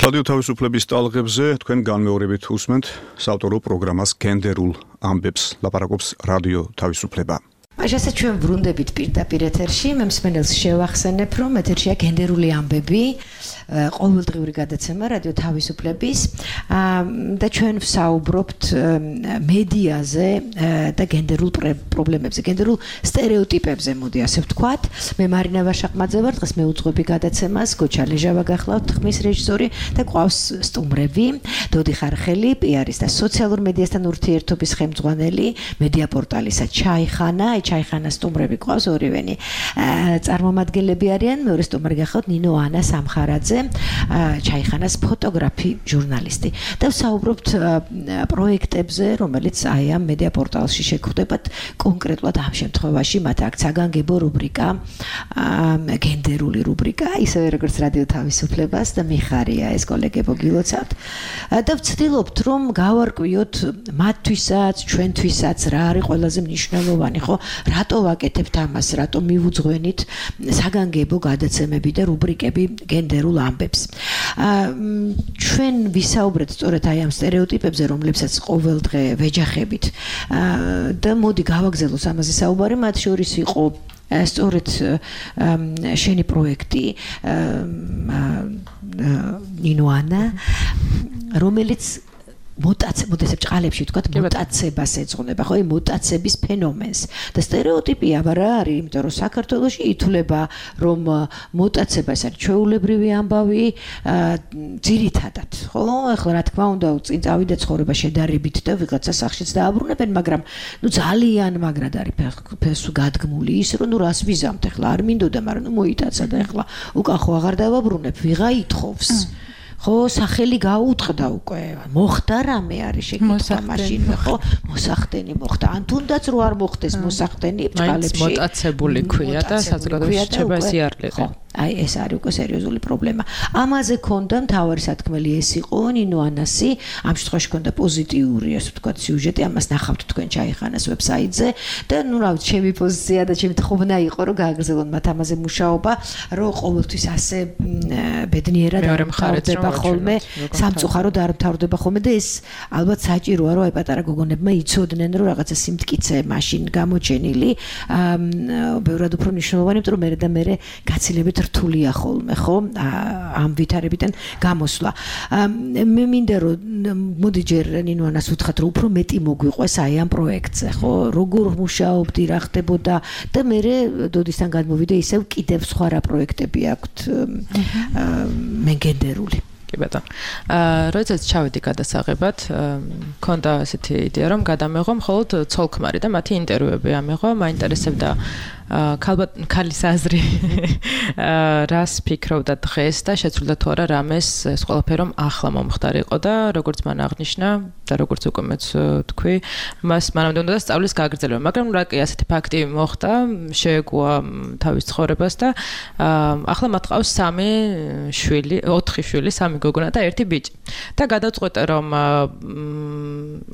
რადიო თავისუფლების ტალღებზე თქვენ განმეორებით უსმენთ საავტორო პროგრამას გენდერულ ამბებს, ლაპარაკობს რადიო თავისუფლება. მაშასე ჩვენ ვრუნდებით პირდაპირ ეთერში, მე მსმენელს შევახსენებ, რომ ეთერშია გენდერული ამბები, ყოველდღიური გადაცემა რადიო თავისუფლების და ჩვენ ვსაუბრობთ მედიაზე და გენდერულ პრობლემებზე, გენდერულ სტერეოტიპებზე, მოდი ასე ვთქვათ. მე მარინა ვაშაყმაძე ვარ, დღეს მეუძღვები გადაცემას, გოჩა ლეჟავა გახლავთ, ხმის რეჟისორი და ყავს სტუმრები, დოდი ხარხელი, პიარის და სოციალურ მედიასთან ურთიერთობის ხელმძღვანელი, მედია პორტალისა ჩაიხანა, ჩაიხანა სტუმრები ყავს ორივენი წარმომადგენლები არიან. მეორე სტუმარი გახავთ ნინო ანა სამხარაძე, ჩაიხანას ფოტოგრაფი, ჟურნალისტი. და ვსაუბრობთ პროექტებზე, რომელიც აი ამ მედია პორტალში შეგვხვდებათ, კონკრეტულად ამ შემთხვევაში მათ აქ საგანგებო რუბრიკა, გენდერული რუბრიკა, ისევე როგორც რადიო თავისუფლებას და მიხარია ეს კოლეგებო გილოცავთ. და ვცდილობთ რომ გავარკვიოთ მათთვისაც, ჩვენთვისაც რა არის ყველაზე მნიშვნელოვანი, ხო? რატო ვაკეთებთ ამას, რატო მივუძღვენით საგანგებო გადაცემები და რუბრიკები გენდერულ ამბებს. ჩვენ ვისაუბრეთ სწორედ აი ამ სტერეოტიპებზე, რომლებსაც ყოველდღე ვეჯახებით. და მოდი გავაგზავნოთ ამაზე საუბარი, მათ შორის იყო სწორედ შენი პროექტი ნინო ანა, რომელიც მუტაცია, მოდესებ ჭყალებში ვთქვათ, მუტაციებას ეძღვნება, ხო, მუტაციების ფენომენს. და სტერეოტიპია რა არის, იმიტომ რომ საქართველოში ითვლება, რომ მუტაცია ეს არის ჩვეულებრივი ამბავი, ძირითადად, ხო? ახლა რა თქმა უნდა, წინ წავიდა ცხოვრება შედარებით და ვიღაცა სახშიც დააბრუნებენ, მაგრამ ნუ ძალიან მაგრად არის ფესვ გადგმული ის, რომ ნუ რას ვიზამთ ახლა, არ მინდოდა, მაგრამ ნუ მოიტაცა და ახლა უკან ხო აღარ დავაბრუნებ, ვიღა ითხოვს. ხო, სახელი გაუწყდა უკვე. მოხდა რამე არის შეკითხვა მაშინ, ხო? მოსახდენი მოხდა. ან თუნდაც რო არ მოხდეს მოსახდენი ბჭყალებში. მოტაცებული ქვია და საზოგადოებაში რჩება სიარლილე. აი ეს არის უკვე სერიოზული პრობლემა. ამაზე ქონდა მთავარი სათქმელი ეს იყო ნინო ანასი, ამ შემთხვევაში ქონდა პოზიტიური, ასე ვთქვათ, სიუჟეტი, ამას ნახავთ თქვენ ჩაიხანას ვებსაიტზე და ნუ რა ვიცი, ჩემი პოზიცია და ჩემი თხოვნა იყო, რომ გააგრძელონ მათ ამაზე მუშაობა, რომ ყოველთვის ასე ბედნიერად არ მთავრდება ხოლმე, სამწუხაროდ არ მთავრდება ხოლმე და ეს ალბათ საჭიროა, რომ აი პატარა გოგონებმა იცოდნენ, რომ რაღაცა სიმტკიცე მაშინ გამოჩენილი, ბევრად უფრო მნიშვნელოვანი, იმიტომ რომ მერე და მერე გაცილებით რთულია ხოლმე, ხო? ამ ვითარებიდან გამოსვლა. მე მინდა რომ მოდი ჯერ ნინო ანას ვუთხრათ, რომ უფრო მეტი მოგვიყვეს აი ამ პროექტზე, ხო? როგორ მუშაობდი, რა ხდებოდა და მე დოდისთან გადმოვიდე ისევ კიდევ სხვა რა პროექტები აქვთ მეგენდერული. კი ბატონო. აა როდესაც ჩავედი გადასაღებად, მქონდა ასეთი იდეა, რომ გადამეღო მხოლოდ ცოლ-ქმარი და მათი ინტერვიუები ამეღო, მაინტერესებდა ქალბატ ქალის აზრი რას ფიქრობდა დღეს და შეცვლიდა თუ არა რამეს ეს ყველაფერი რომ ახლა მომხდარიყო და როგორც მან აღნიშნა და როგორც უკვე მეც თქვი, მას მანამდე უნდა სწავლის გაგრძელება, მაგრამ რა კი ასეთი ფაქტი მოხდა, შეეგუა თავის ცხოვრებას და ახლა მათ ყავს სამი შვილი, ოთხი შვილი, სამი გოგონა და ერთი ბიჭი. და გადაწყვეტა რომ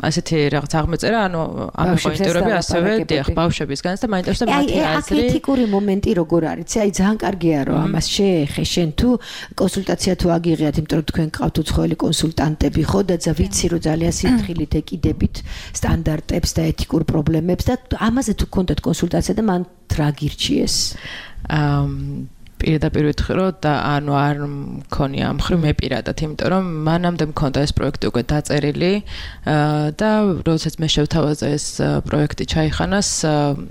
ასეთი რაღაც აღმეწერა, ანუ ამ ინტერვიუები ასევე დიახ, ბავშვებისგანაც და მაინტერესებდა მათი აზრი. ეთიკური მომენტი როგორ არის? აი ძალიან კარგია რომ ამას შეეხე შენ თუ კონსულტაცია თუ აგიღიათ, იმიტომ რომ თქვენ გყავთ უცხოელი კონსულტანტები, ხო და ვიცი რომ ძალიან სიფრთხილით ეკიდებით სტანდარტებს და ეთიკურ პრობლემებს და ამაზე თუ გქონდათ კონსულტაცია და მან რა გირჩიეს? აა პირდაპირ ვიტყვი რომ და ანუ არ მქონია ამ ხრი მე პირადად, იმიტომ რომ მანამდე მქონდა ეს პროექტი უკვე დაწერილი და როდესაც მე შევთავაზე ეს პროექტი ჩაიხანას,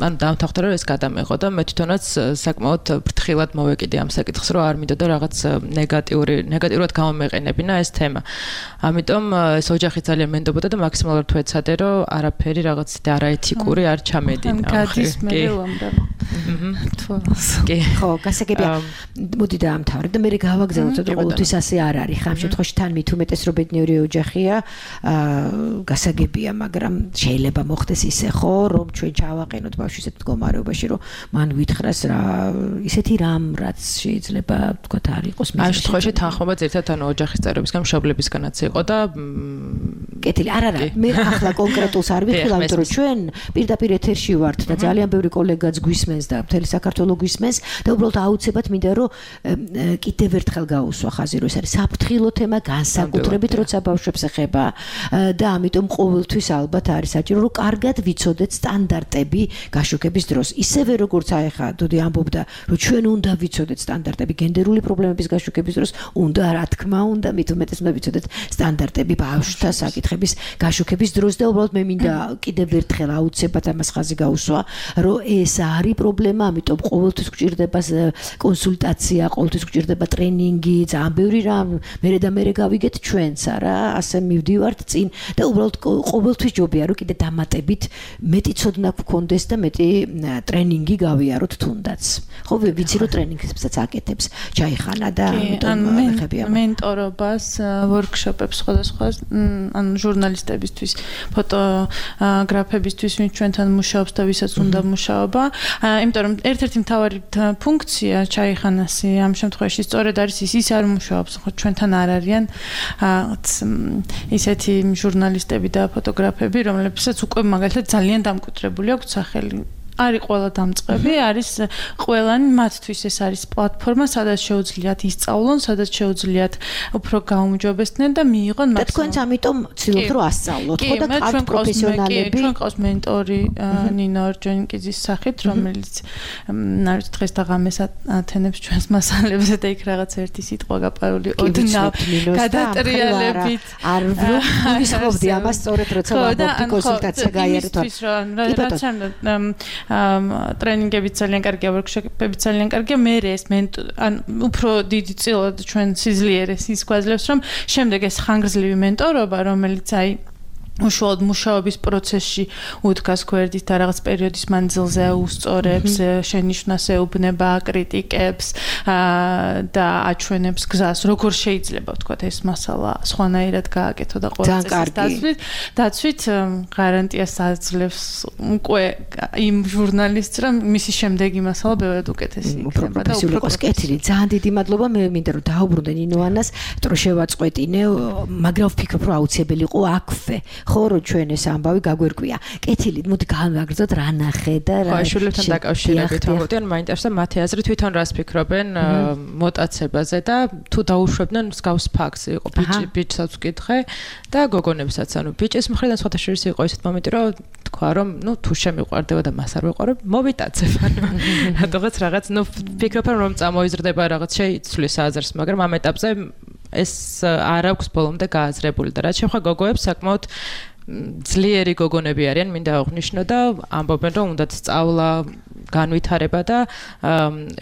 ანუ დამთავრდა რომ ეს გადამეღო და მე თვითონაც საკმაოდ ფრთხილად მოვეკიდე ამ საკითხს, რომ არ მინდოდა რაღაც ნეგატიური ნეგატიურად გამომეყენებინა ეს თემა. ამიტომ ეს ოჯახი ძალიან მენდობოდა და მაქსიმალურად ვეცადე რომ არაფერი რაღაც არაეთიკური არ ჩამედინა. გადის მე უამრავ. კი. ხო, გასაგებია. მოდი დაამთავრე და მე გავაგზავნოთ, რომ ყოველთვის ასე არ არის. ხა ამ შემთხვევაში თან მით უმეტეს რომ ბედნიერი ოჯახია, გასაგებია, მაგრამ შეიძლება მოხდეს ისე ხო, რომ ჩვენ ჩავაყენოთ ბავშვი ისეთ მდგომარეობაში, რომ მან ვითხრას რა ისეთი რამ, რაც შეიძლება თქვათ არ იყოს მიზეზი. ამ შემთხვევაში თანხმობა ძირითადად ანუ ოჯახის წევრებისგან, მშობლებისგანაც იყო და კეთილი, არ არა, მე ახლა კონკრეტულს არ ვიხილავ, იმიტომ რომ ჩვენ პირდაპირ ეთერში ვართ და ძალიან ბევრი კოლეგაც გვისმენს და მთელი საქართველო გვისმენს და უბრალოდ აუცილებლად მინდა რომ კიდევ ერთხელ გაუსვა ხაზი, რომ ეს არის საფრთხილო თემა, განსაკუთრებით როცა ბავშვებს ეხება და ამიტომ ყოველთვის ალბათ არის საჭირო რომ კარგად ვიცოდეთ სტანდარტები გაშუქების დროს. ისევე როგორც აი ხა დოდი ამბობდა, რომ ჩვენ უნდა ვიცოდეთ სტანდარტები გენდერული პრობლემების გაშუქების დროს, უნდა რა თქმა უნდა მით უმეტეს უნდა ვიცოდეთ სტანდარტები ბავშვთა საკითხების გაშუქების დროს და უბრალოდ მე მინდა კიდევ ერთხელ აუცილებლად ამას ხაზი გაუსვა, რომ ეს არის პრობლემა, ამიტომ ყოველთვის გვჭირდება კონსულტაცია, ყოველთვის გჭირდება ტრენინგი, ძალიან ბევრი რამ, მერე და მერე გავიგეთ ჩვენც არა, ასე მივდივართ წინ და უბრალოდ ყოველთვის ჯობია რომ კიდე დამატებით მეტი ცოდნა გქონდეს და მეტი ტრენინგი გავიაროთ თუნდაც. ხო ვიცი რომ ტრენინგსაც აკეთებს ჩაიხანა და ამიტომ ხებია მენტორობას, ვორქშოპებს სხვადასხვა ან ჟურნალისტებისთვის, ფოტოგრაფებისთვის, ვინც ჩვენთან მუშაობს და ვისაც უნდა მუშაობა. იმიტომ რომ ერთ-ერთი მთავარი ფუნქცია ჩაიხანასი ამ შემთხვევაში სწორედ არის ის ის არ მუშაობს, ხო ჩვენთან არ არიან ისეთი ჟურნალისტები და ფოტოგრაფები, რომლებსაც უკვე მაგალითად ძალიან დამკვიდრებული აქვს სახელი. არის ყველა დამწყები, არის ყველანი მათთვის ეს არის პლატფორმა, სადაც შეუძლიათ ისწავლონ, სადაც შეუძლიათ უფრო გაუმჯობესდნენ და მიიღონ და თქვენც ამიტომ ცდილობთ რომ ასწავლოთ, ხო და ყავთ პროფესიონალები. ჩვენ ყავს მენტორი ნინო ორჯონიკიძის სახით, რომელიც არის დღეს და ღამეს ათენებს ჩვენს მასალებს და იქ რაღაც ერთი სიტყვა გაპარული ოდნავ გადატრიალებით. არ ვისხობდი ამას სწორედ როცა ვაბობდი კონსულტაცია გაიარეთ. რაც ტრენინგებიც ძალიან კარგია, ვორქშოპებიც ძალიან კარგია, მე ეს ან უფრო დიდი წილად ჩვენ სიძლიერეს ის გვაძლევს, რომ შემდეგ ეს ხანგრძლივი მენტორობა, რომელიც აი უშუალოდ მუშაობის პროცესში უდგას გვერდით და რაღაც პერიოდის მანძილზე უსწორებს, შენიშვნას ეუბნება, კრიტიკებს და აჩვენებს გზას, როგორ შეიძლება ვთქვათ ეს მასალა სხვანაირად გააკეთო და ყველა წესის დაცვით, დაცვით გარანტიას აძლევს უკვე იმ ჟურნალისტს, რომ მისი შემდეგი მასალა ბევრად უკეთესი იქნება და უფრო პროფესიონალი. ძალიან დიდი მადლობა, მე მინდა რომ დაუბრუნდე ნინოანას, რომ შევაწყვეტინე, მაგრამ ვფიქრობ რომ აუცილებელი იყო აქვე. ხო რომ ჩვენ ეს ამბავი გაგვერკვია. კეთილით, მოდი გავაგრძოთ რა ნახე და რა. ხო, შვილებთან დაკავშირებით მოგდიან, მაინტერესებს მათი აზრი თვითონ რას ფიქრობენ მოტაცებაზე და თუ დაუშვებდნენ მსგავს ფაქტს, იყო ბიჭი, ბიჭსაც ვკითხე და გოგონებსაც, ანუ ბიჭის მხრიდან სხვათა შორის იყო ისეთ მომენტი, რომ თქვა რომ, ნუ თუ შემიყვარდება და მას არ ვეყარებ, მოვიტაცებ. რატოღაც რაღაც, ნუ ფიქრობ რომ წამოიზრდება რაღაც შეიცვლის აზრს, მაგრამ ამ ეტაპზე ეს არ აქვს ბოლომდე გააზრებული და რაც შეხვდა გოგოებს საკმაოდ ძლიერი გოგონები არიან, მინდა აღვნიშნო და ამბობენ რომ უნდათ სწავლა, განვითარება და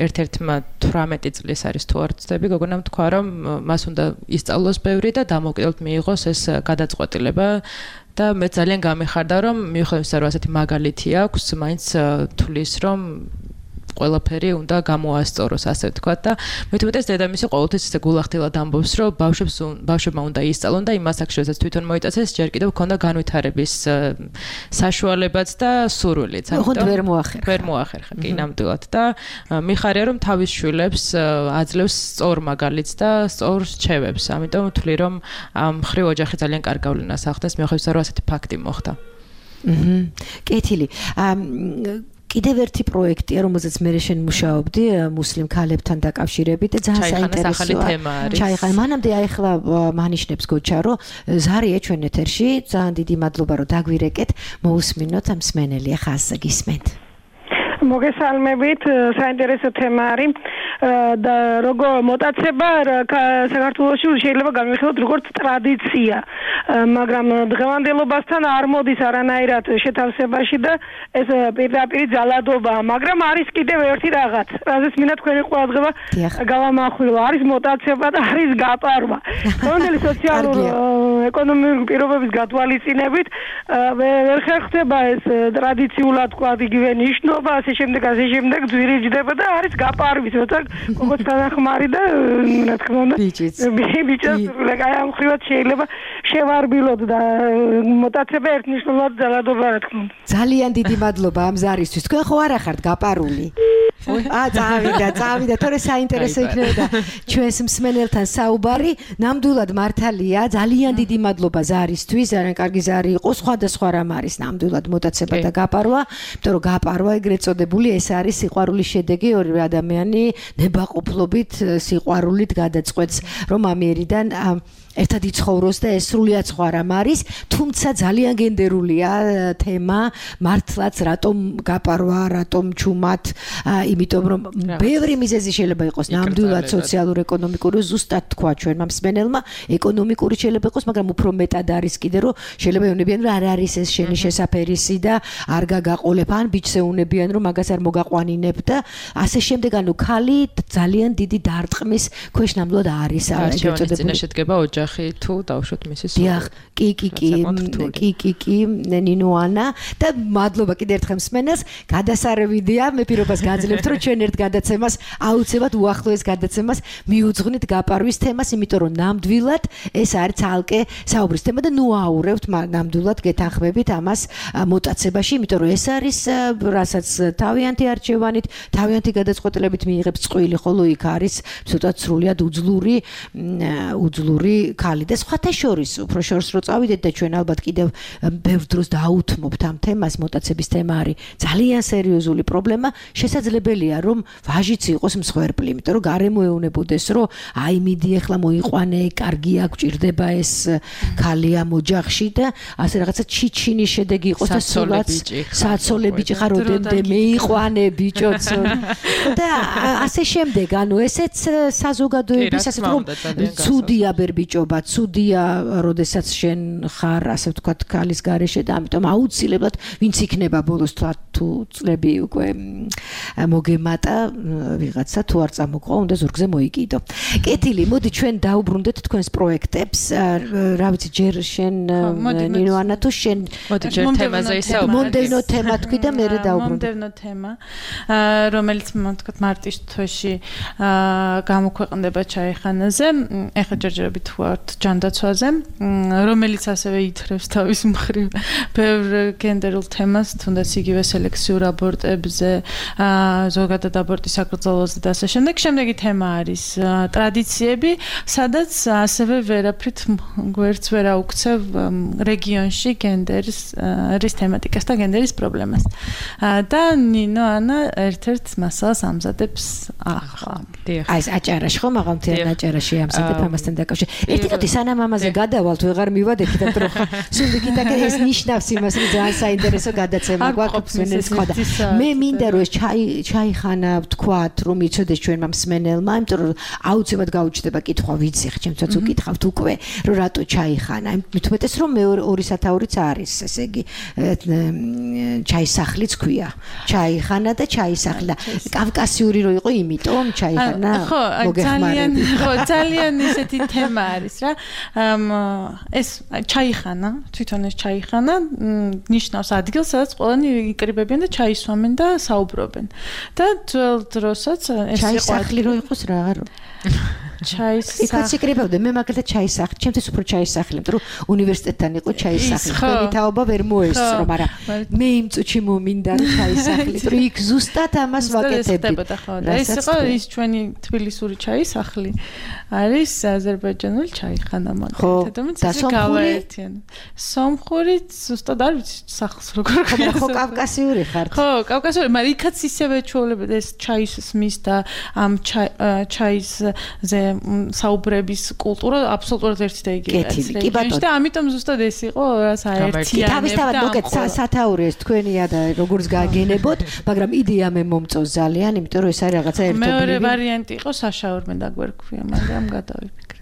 ერთ-ერთმა თვრამეტი წლის არის თუ არ ვცდები, გოგონამ თქვა რომ მას უნდა ისწავლოს ბევრი და დამოუკიდებლად მიიღოს ეს გადაწყვეტილება და მე ძალიან გამიხარდა რომ მიუხედავად იმისა რომ ასეთი მაგალითი აქვს, მაინც თulis რომ ყველაფერი უნდა გამოასწოროს, ასე ვთქვათ და მithumetes დედამისი ყოველთვის ისე გულახდილად ამბობს, რომ ბავშვებს ბავშვებმა უნდა ისწავლონ და იმ მასაკშოსაც თვითონ მოიტაცეს, ჯერ კიდევ ქონდა განვითარების საშუალებაც და სურვილიც. ამიტომ ვერ მოახერხა. ვერ მოახერხა, კი ნამდვილად და მიხარია რომ თავის შვილებს აძლევს სწორ მაგალითს და სწორ რჩევებს. ამიტომ ვთვლი რომ ამ ხრივ ოჯახი ძალიან კარგ გავლენას ახდენს, მიუხედავად იმისა რომ ასეთი ფაქტი მოხდა. აჰა. კეთილი. კიდევ ერთი პროექტია, რომელზეც მე შენ მუშაობდი, მუსლიმ ქალებთან დაკავშირებით და ძალიან საინტერესოა. ჩაიხანა. მანამდე აიხლა მანიშნებს გოჩა, რომ ზარია ჩვენ ეთერში, ძალიან დიდი მადლობა რომ დაგვირეკეთ, მოусმინოთ ამ მსმენელია ხაზზე გისმენთ. მოგესალმებით, საინტერესო თემა არის და როგორ მოტაცება საქართველოში შეიძლება გამიხილოთ როგორც ტრადიცია, მაგრამ დღევანდელობასთან არ მოდის არანაირად შეთავსებაში და ეს პირდაპირ ძალადობაა, მაგრამ არის კიდევ ერთი რაღაც, რაზეც მინდა თქვენი ყურადღება გავამახვილო, არის მოტაცება და არის გაპარვა. დღევანდელი სოციალური ეკონომიკური პირობების გათვალისწინებით ვერ ხერხდება ეს ტრადიციულად თქვა იგივე ნიშნობა, ასე შემდეგ ასე შემდეგ ძვირიჯდება და არის გაპარვის, როცა გოგოც თანახმარი და რა თქმა უნდა ბიჭიც ბიჭიც აი ამ ხრივად შეიძლება შევარბილოთ და მოტაცება ერთნიშნულად ძალადობა რა თქმა უნდა. ძალიან დიდი მადლობა ამ ზარისთვის. თქვენ ხო არ ახართ გაპარული? აა წავიდა, წავიდა, თორე საინტერესო იქნებოდა ჩვენს მსმენელთან საუბარი. ნამდვილად მართალია, ძალიან დიდი მადლობა ზარისთვის. ძალიან კარგი ზარი იყო, სხვადასხვა რამ არის ნამდვილად მოტაცება და გაპარვა, იმიტომ რომ გაპარვა ეგრეთ წოდებული ეს არის სიყვარულის შედეგი, ორივე ადამიანი ნებაყოფლობით სიყვარულით გადაწყვეტს, რომ ამიერიდან ერთად იცხოვროს და ეს სრულიად სხვა რამ არის, თუმცა ძალიან გენდერულია თემა, მართლაც რატომ გაპარვა, რატომ ჩუმად იმიტომ რომ ბევრი მიზეზი შეიძლება იყოს ნამდვილად სოციალურ-ეკონომიკური, ზუსტად თქვა ჩვენმა მსმენელმა, ეკონომიკური შეიძლება იყოს, მაგრამ უფრო მეტად არის კიდე რომ შეიძლება ეუნებიან რომ არ არის ეს შენი შესაფერისი და არ გაგაყოლებ ან ბიჭს ეუნებიან რომ მაგას არ მოგაყვანინებ და ასე შემდეგ, ანუ ქალი ძალიან დიდი დარტყმის ქვეშ ნამდვილად არის არჩევანის წინაშე შედგება ოჯახი თუ დავუშვათ მისი სულ. დიახ, კი კი კი კი კი კი ნინო ანა და მადლობა კიდევ ერთხელ მსმენელს. გადასარევიდია, მე პირობას გააძლევთ რომ ჩვენ ერთ გადაცემას აუცილებლად უახლოეს გადაცემას მიუძღვნით გაპარვის თემას, იმიტომ რომ ნამდვილად ეს არის ცალკე საუბრის თემა და ნუ აურევთ ნამდვილად გეთანხმებით ამას მოტაცებაში, იმიტომ რომ ეს არის რასაც თავიანთი არჩევანით, თავიანთი გადაწყვეტილებით მიიღებს წყვილი, ხოლო იქ არის ცოტა სრულიად უძლური უძლური ქალი და სხვათა შორის უფრო შორს რო წავიდეთ და ჩვენ ალბათ კიდევ ბევრ დროს დაუთმობთ ამ თემას, მოტაცების თემა არის ძალიან სერიოზული პრობლემა, შესაძლებელია რომ ვაჟიც იყოს მსხვერპლი, იმიტომ რომ გარემო ეუნებოდეს რომ აი მიდი ახლა მოიყვანე, კარგია, გვჭირდება ეს ქალი ამ ოჯახში და ასე რაღაცა ჩიჩინის შედეგი იყოს და სულაც საცოლე ბიჭი ხარ ოდემდე მეიყვანე ბიჭოც და ასე შემდეგ, ანუ ესეც საზოგადოების ასე რომ ცუდია ბერბიჭობა, ცუდია, როდესაც შენ ხარ ასე ვთქვათ ქალის გარეშე და ამიტომ აუცილებლად ვინც იქნება ბოლოს თუ წლები უკვე მოგემატა ვიღაცა თუ არ წამოყვა, უნდა ზურგზე მოიკიდო. კეთილი, მოდი ჩვენ დაუბრუნდეთ თქვენს პროექტებს. რა ვიცი, ჯერ შენ ნინო ანა თუ შენ მოდი ჯერ თემაზე ისაუბროთ. მომდევნო თემა თქვი და მე დავუბრუნდე. მომდევნო თემა, რომელიც თქვათ მარტის თვეში გამოქვეყნდება ჩაიხანაზე, ეხლა ჯერჯერობით ვართ ჯანდაცვაზე, რომელიც ასევე ითრევს თავის მხრივ ბევრ გენდერულ თემას, თუნდაც იგივე სელექციურ აბორტებზე, ზოგადად აბორტის აკრძალვაზე და ასე შემდეგ. შემდეგი თემა არის ტრადიციები, სადაც ასევე ვერაფრით გვერდს ვერ აუქცევ რეგიონში გენდერის რის თემატიკას და გენდერის პრობლემას. და ნინო ანა ერთ-ერთ მასალას ამზადებს ახლა. აი ეს აჭარაში ხომ აღამთიან აჭარაში ამზადებ ამასთან დაკავშირებით. ერთი კაცი სანამ ამაზე გადავალთ, ვეღარ მივადექით, რომ სულ იქიდან ეს ნიშნავს იმას, რომ ძალიან საინტერესო გადაცემა გვაქვს მსმენელის სხვა და მე მინდა რომ ეს ჩაიხანა ვთქვათ, რომ იცოდეს ჩვენმა მსმენელმა, იმიტომ რომ აუცილებლად გაუჩნდება კითხვა, ვიცი, ხა ჩემთვაც უკითხავთ უკვე, რომ რატო ჩაიხანა. მithumetes რომ მეორე ორი სათაურიც არის, ესე იგი ჩაისახლიც ქვია. ჩაიხანა და ჩაისახლა. კავკასიური რო იყო, იმიტომ ჩაიხანა მოგეხმარებით. ხო, ძალიან ისეთი თემა არის რა. ეს ჩაიხანა, თვითონ ეს ჩაიხანა ნიშნავს ადგილს, სადაც ყველანი იკრიბებიან და ჩაისვამენ და საუბრობენ. და ძველ დროსაც ეს იყო ჩაისახლი რო იყოს რა არო. ჩაისახლი. იქაც იკრიბებდნენ, მე მაგალითად ჩაისახლი, ჩემთვის უფრო ჩაისახლი, იმიტომ რომ უნივერსიტეტთან იყო ჩაისახლი. თქვენი თაობა ვერ მოესწრო, მაგრამ მე იმ წუთში მომინდა რომ ჩაისახლი, რომ იქ ზუსტად ამას ვაკეთებდი. ეს იყო ის ჩვენი თბილისური ჩაისახლი. არის აზერბაიჯანული ჩაიხანა მაგალითად, რომელიც ისე გავაერთიანა. სომხური ზუსტად არ ვიცი სახლს როგორ ქვია. ხო, კავკასიური ხართ. ხო, კავკასიური, მაგრამ იქაც ისევე ჩვეულებრივად ეს ჩაის სმის და ამ ჩაისზე საუბრების კულტურა აბსოლუტურად ერთი და იგივეა. კი ბატონო. და ამიტომ ზუსტად ეს იყო რაც აერთიანებდა. თავისთავად მოკეთ სათაური ეს თქვენია და როგორც გააგენებოთ, მაგრამ იდეა მე მომწონს ძალიან, იმიტომ რომ ეს არის რაღაცა ერთობლივი. მეორე ვარიანტი იყო საშაურმე და გვერქვია, მაგრამ გადავიფიქრე.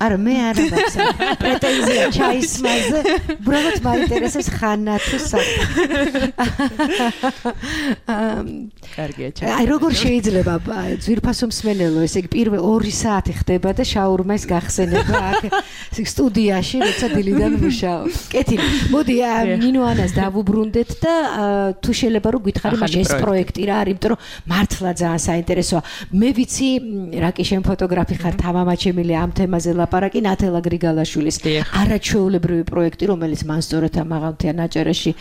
არა მე არ მაქვს პრეტენზია ჩაისმაზე, უბრალოდ მაინტერესებს ხანა თუ საქმე. კარგია ჩა. აი როგორ შეიძლება ძვირფასო მსმენელო, ესე იგი პირველ ორი საათი ხდება და შაურმას გახსენება აქ სტუდიაში, როცა დილიდან მუშაობ. კეთილი. მოდი ნინო ანას დავუბრუნდეთ და თუ შეიძლება რომ გითხარი მაშ ეს პროექტი რა არის, იმიტომ რომ მართლა ძალიან საინტერესოა. მე ვიცი რა კი შენ ფოტოგრაფი ხარ, თამამაჩემილი ამ თემაზე ლაპარაკი ნათელა გრიგალაშვილის არაჩვეულებრივი პროექტი, რომელიც მან სწორედ ამ აღამთიან აჭარაში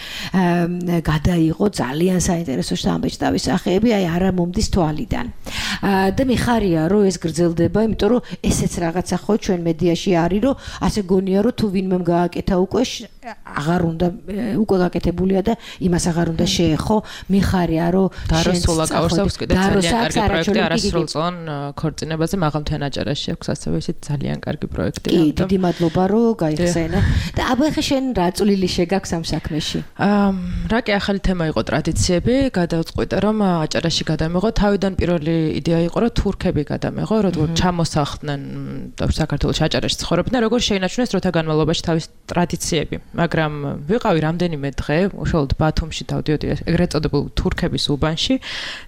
გადაიღო, ძალიან საინტერესო შთამბეჭდავი სახეები, აი არა მომდის თვალიდან. და მიხარია რომ ეს გრძელდება, იმიტომ რომ ესეც რაღაცა ხო ჩვენ მედიაში არის, რომ ასე გონია რომ თუ ვინმემ გააკეთა უკვე აღარ უნდა უკვე გაკეთებულია და იმას აღარ უნდა შეეხო მიხარია რომ დაროსულაკაურს აქვს კიდე ძალიან კარგი პროექტი არასრულწლოვან ქორწინებაზე მაღალმთიან აჭარაში აქვს ასევე ისეთ ძალიან კარგი პროექტი. კი, დიდი მადლობა რომ გაიხსენა. და აბა ხე შენ რა წვლილი შეგაქვს ამ საქმეში? აა რა კი ახალი თემა იყო ტრადიციები, გადავწყვიტე რომ აჭარაში გადამეღო. თავიდან პირველი იდეა იყო რომ თურქები გადამეღო, რომ ჩამოსახლდნენ საქართველოში აჭარაში ცხოვრობდნენ, როგორ შეინარჩუნეს დროთა განმავლობაში თავის ტრადიციები. მაგრამ ვიყავი რამდენიმე დღე უშუალოდ ბათუმში დავდიოდი ეგრეთ წოდებულ თურქების უბანში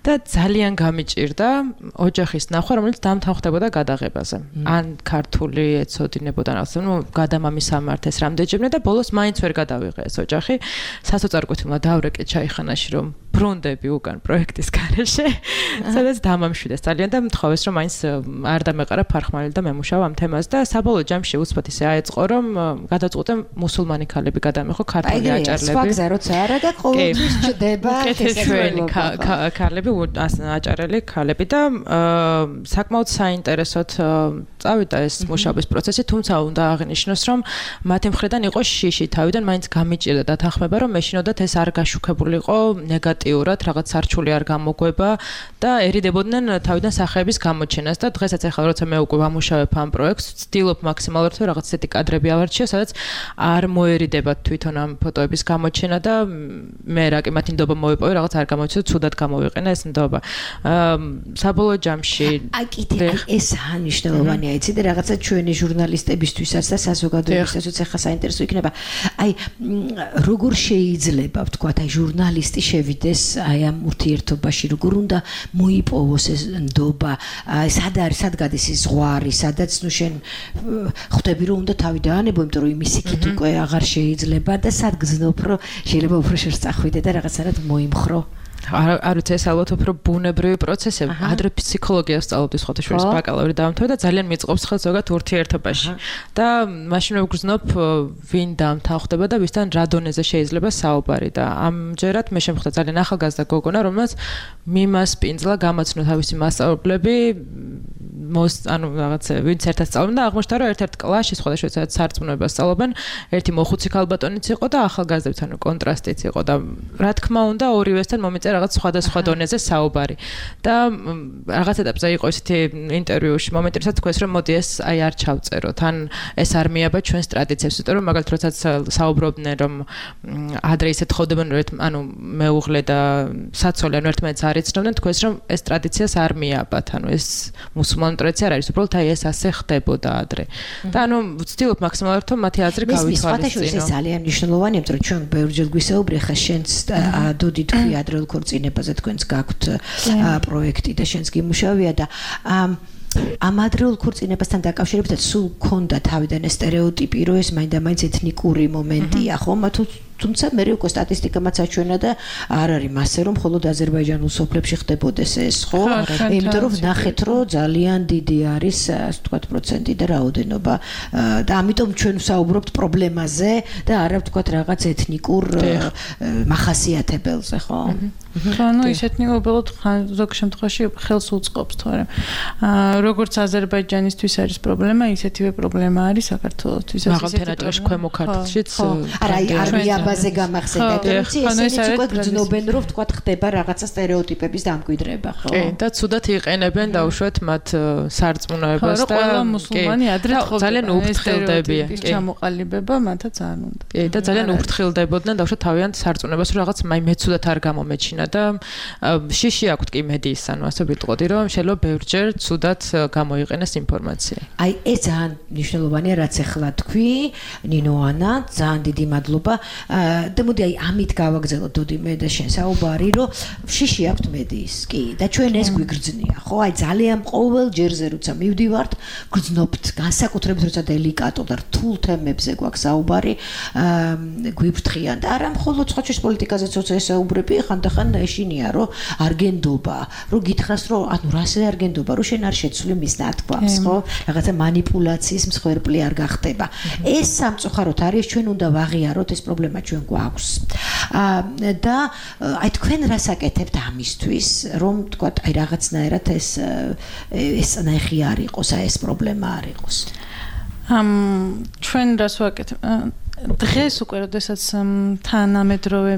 და ძალიან გამიჭირდა ოჯახის ნახვა, რომელიც დამთავრდებოდა გადაღებაზე. ან ქართული ეცოდინებოდა რაღაცა, ნუ გადამამის სამართეს რამდენჯერმე და ბოლოს მაინც ვერ გადავიღე ეს ოჯახი. სასოწარკვეთილმა დავრეკე ჩაიხანაში რომ ბრუნდები უკან პროექტის გარეშე, სადაც დამამშვიდეს ძალიან და მთხოვეს რომ მაინც არ დამეყარა ფარხმალი და მემუშავა ამ თემას და საბოლოო ჯამში უცბად ისე აეწყო რომ გადაწყვიტე მუსულმანი ქალები გადამეღო ქართული აჭარლები. სხვა გზა როცა არა და ყოველთვის ჩდება ქეთევენი ქალები აჭარელი ქალები და საკმაოდ საინტერესოდ წავიდა ეს მუშაობის პროცესი, თუმცა უნდა აღინიშნოს რომ მათი მხრიდან იყო შიში, თავიდან მაინც გამიჭირდა დათანხმება რომ მეშინოდათ ეს არ გაშუქებულიყო ნეგატიურად, რაღაც სარჩული არ გამოგვება და ერიდებოდნენ თავიდან სახეების გამოჩენას და დღესაც ახლა როცა მე უკვე ვამუშავებ ამ პროექტს, ვცდილობ მაქსიმალურად რომ რაღაც ესეთი კადრები ავარჩიო, სადაც არ მოერიდება თვითონ ამ ფოტოების გამოჩენა და მე რა კი მათი ნდობა მოვიპოვე, რაღაც არ გამოჩნდა, ცუდად გამოვიყენა ეს ნდობა. საბოლოო ჯამში აი კიდე ეს ანიშნულოვანია, იცი და რაღაცა ჩვენი ჟურნალისტებისთვისაც და საზოგადოებისთვისაც ახლა საინტერესო იქნება. აი როგორ შეიძლება ვთქვათ, აი ჟურნალისტი შევიდეს აი ამ ურთიერთობაში, როგორ უნდა მოიპოვოს ეს ნდობა, აი სად არის, სად გადის ის ზღვარი, სადაც ნუ შენ ხვდები რომ უნდა თავი დაანებო, იმიტომ რომ იმის იქით უკვე აღარ შეიძლება და სად გძნობ რომ შეიძლება უფრო შორს წახვიდე და რაღაცნაირად მოიმხრო. არ ვიცი ეს ალბათ უფრო ბუნებრივი პროცესია. ადრე ფსიქოლოგიას სწავლობდი სხვათა შორის ბაკალავრი დავამთავრე და ძალიან მიწყობს ხელს ზოგადად ურთიერთობაში. და მაშინ ვგრძნობ ვინ დამთავრდება და ვისთან რა დონეზე შეიძლება საუბარი და ამჯერად მე შემხვდა ძალიან ახალგაზრდა გოგონა, რომელსაც მიმასპინძლა გამაცნო თავისი მასწავლებლები მოს ანუ რაღაც ვინც ერთად სწავლობენ და აღმოჩნდა რომ ერთ-ერთ კლასში სხვადასხვა სადაც სარწმუნოებას სწავლობენ, ერთი მოხუცი ქალბატონიც იყო და ახალგაზრდაც ანუ კონტრასტიც იყო და რა თქმა უნდა ორივესთან მომიწე რაღაც სხვადასხვა დონეზე საუბარი და რაღაც ეტაპზე იყო ესეთი ინტერვიუში მომენტი, როდესაც თქვეს რომ მოდი ეს აი არ ჩავწეროთ, ან ეს არ მიაბა ჩვენს ტრადიციებს, იმიტომ რომ მაგალითად როდესაც საუბრობდნენ რომ ადრე ისე თხოვდებენ რომ ანუ მეუღლე და საცოლე ანუ ერთმანეთს არ იცნობდნენ, თქვეს რომ ეს ტრადიციას არ მიაბათ, ანუ ეს მუსულმანი ტრადიცია არ არის, უბრალოდ აი ეს ასე ხდებოდა ადრე. და ანუ ვცდილობ მაქსიმალურად რომ მათი აზრი გავითვალისწინო. ეს ძალიან მნიშვნელოვანია, იმიტომ რომ ჩვენ ბევრჯერ გვისაუბრე ხა შენც დოდი თქვი ადრეულ ქორწინებაზე თქვენს გაქვთ პროექტი და შენს გიმუშავია და ამ ადრეულ ქორწინებასთან დაკავშირებით სულ გქონდა თავიდან ეს სტერეოტიპი, რომ ეს მაინდა-მაინც ეთნიკური მომენტია, ხომ? თუმცა მე უკვე სტატისტიკამაც აჩვენა და არ არის მასე რომ მხოლოდ აზერბაიჯანულ სოფლებში ხდებოდეს ეს, ხო? იმიტომ რომ ნახეთ რომ ძალიან დიდი არის, ასე ვთქვათ, პროცენტი და რაოდენობა და ამიტომ ჩვენ ვსაუბრობთ პრობლემაზე და არა ვთქვათ რაღაც ეთნიკურ მახასიათებელზე, ხო? ანუ ის ეთნიკურად ზოგ შემთხვევაში ხელს უწყობს, თორემ როგორც აზერბაიჯანისთვის არის პრობლემა, ისეთივე პრობლემა არის საქართველოსთვის. მაღალმთიან აჭარაში ქვემო ქართლშიც არა, არ ბაზე გამახსენდა, იცი, ესენიც უკვე გრძნობენ, რომ ვთქვათ, ხდება რაღაცა სტერეოტიპების დამკვიდრება, ხო? კი, და ცუდად იყენებენ დაუშვათ მათ სარწმუნოებას და ყველა მუსულმანი ადრე ძალიან უფრთხილდებიან. კი, ჩამოყალიბება მათაც არ უნდა. კი, და ძალიან უფრთხილდებოდნენ დაუშვათ თავიანთ სარწმუნოებას, რომ რაღაც მაი მეცუდად არ გამომეჩინა და შიში აქვთ კი მედიის, ანუ ასე ვიტყოდი, რომ შეიძლება ბევრჯერ ცუდად გამოიყენეს ინფორმაცია. აი, ეს ძალიან მნიშვნელოვანია, რაც ახლა თქვი, ნინო ანა, ძალიან დიდი მადლობა. და მოდი აი ამით გავაგზავნოთ დოდი მე და შენ საუბარი, რომ შიში აქვთ მედიის, კი, და ჩვენ ეს გვიგრძნია, ხო? აი ძალიან ყოველ ჯერზე როცა მივდივართ, გრძნობთ, განსაკუთრებით როცა დელიკატურ და რთულ თემებზე გვაქვს საუბარი, გვიფრთხიან და არა მხოლოდ სხვა ჩვენს პოლიტიკაზე ცოტა ესაუბრები, ხანდახან ეშინია, რომ არ გენდობა, რომ გითხრას, რომ ანუ რასე არ გენდობა, რომ შენ არ შეცვლი მის ნათქვამს, ხო? რაღაცა манипуляციის მსხვერპლი არ გახდება. ეს სამწუხაროდ არის, ჩვენ უნდა ვაღიაროთ ეს პრობლემა ჩვენ გვაქვს. და აი თქვენ რას აკეთებთ ამისთვის, რომ თქვათ, აი რაღაცნაირად ეს ეს ნახი არ იყოს, აი ეს პრობლემა არ იყოს. ამ ჩვენ რას ვაკეთებ? დღეს უკვე როდესაც თანამედროვე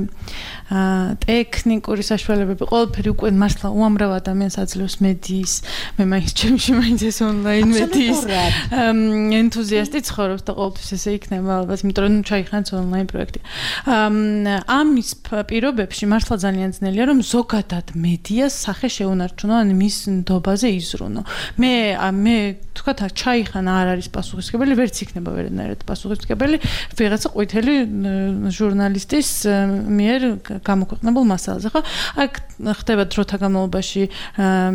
ტექნიკური საშუალებები ყველაფერი უკვე მართლა უამრავ ადამიანს აძლევს მედიის მე მაინც ჩემში მაინც ეს ონლაინ მედიის ენთუზიასტი ცხოვრობს და ყოველთვის ესე იქნება ალბათ იმიტომ რომ ჩაიხანს ონლაინ პროექტი ამის პირობებში მართლა ძალიან ძნელია რომ ზოგადად მედიას სახე შეუნარჩუნო ან მის ნდობაზე იზრუნო მე მე თქვათ ჩაიხანა არ არის პასუხისმგებელი ვერც იქნება ვერანაირად პასუხისმგებელი ვიღაცა ყვითელი ჟურნალისტის მიერ გამოქვეყნებულ მასალაზე ხო აქ ხდება დროთა განმავლობაში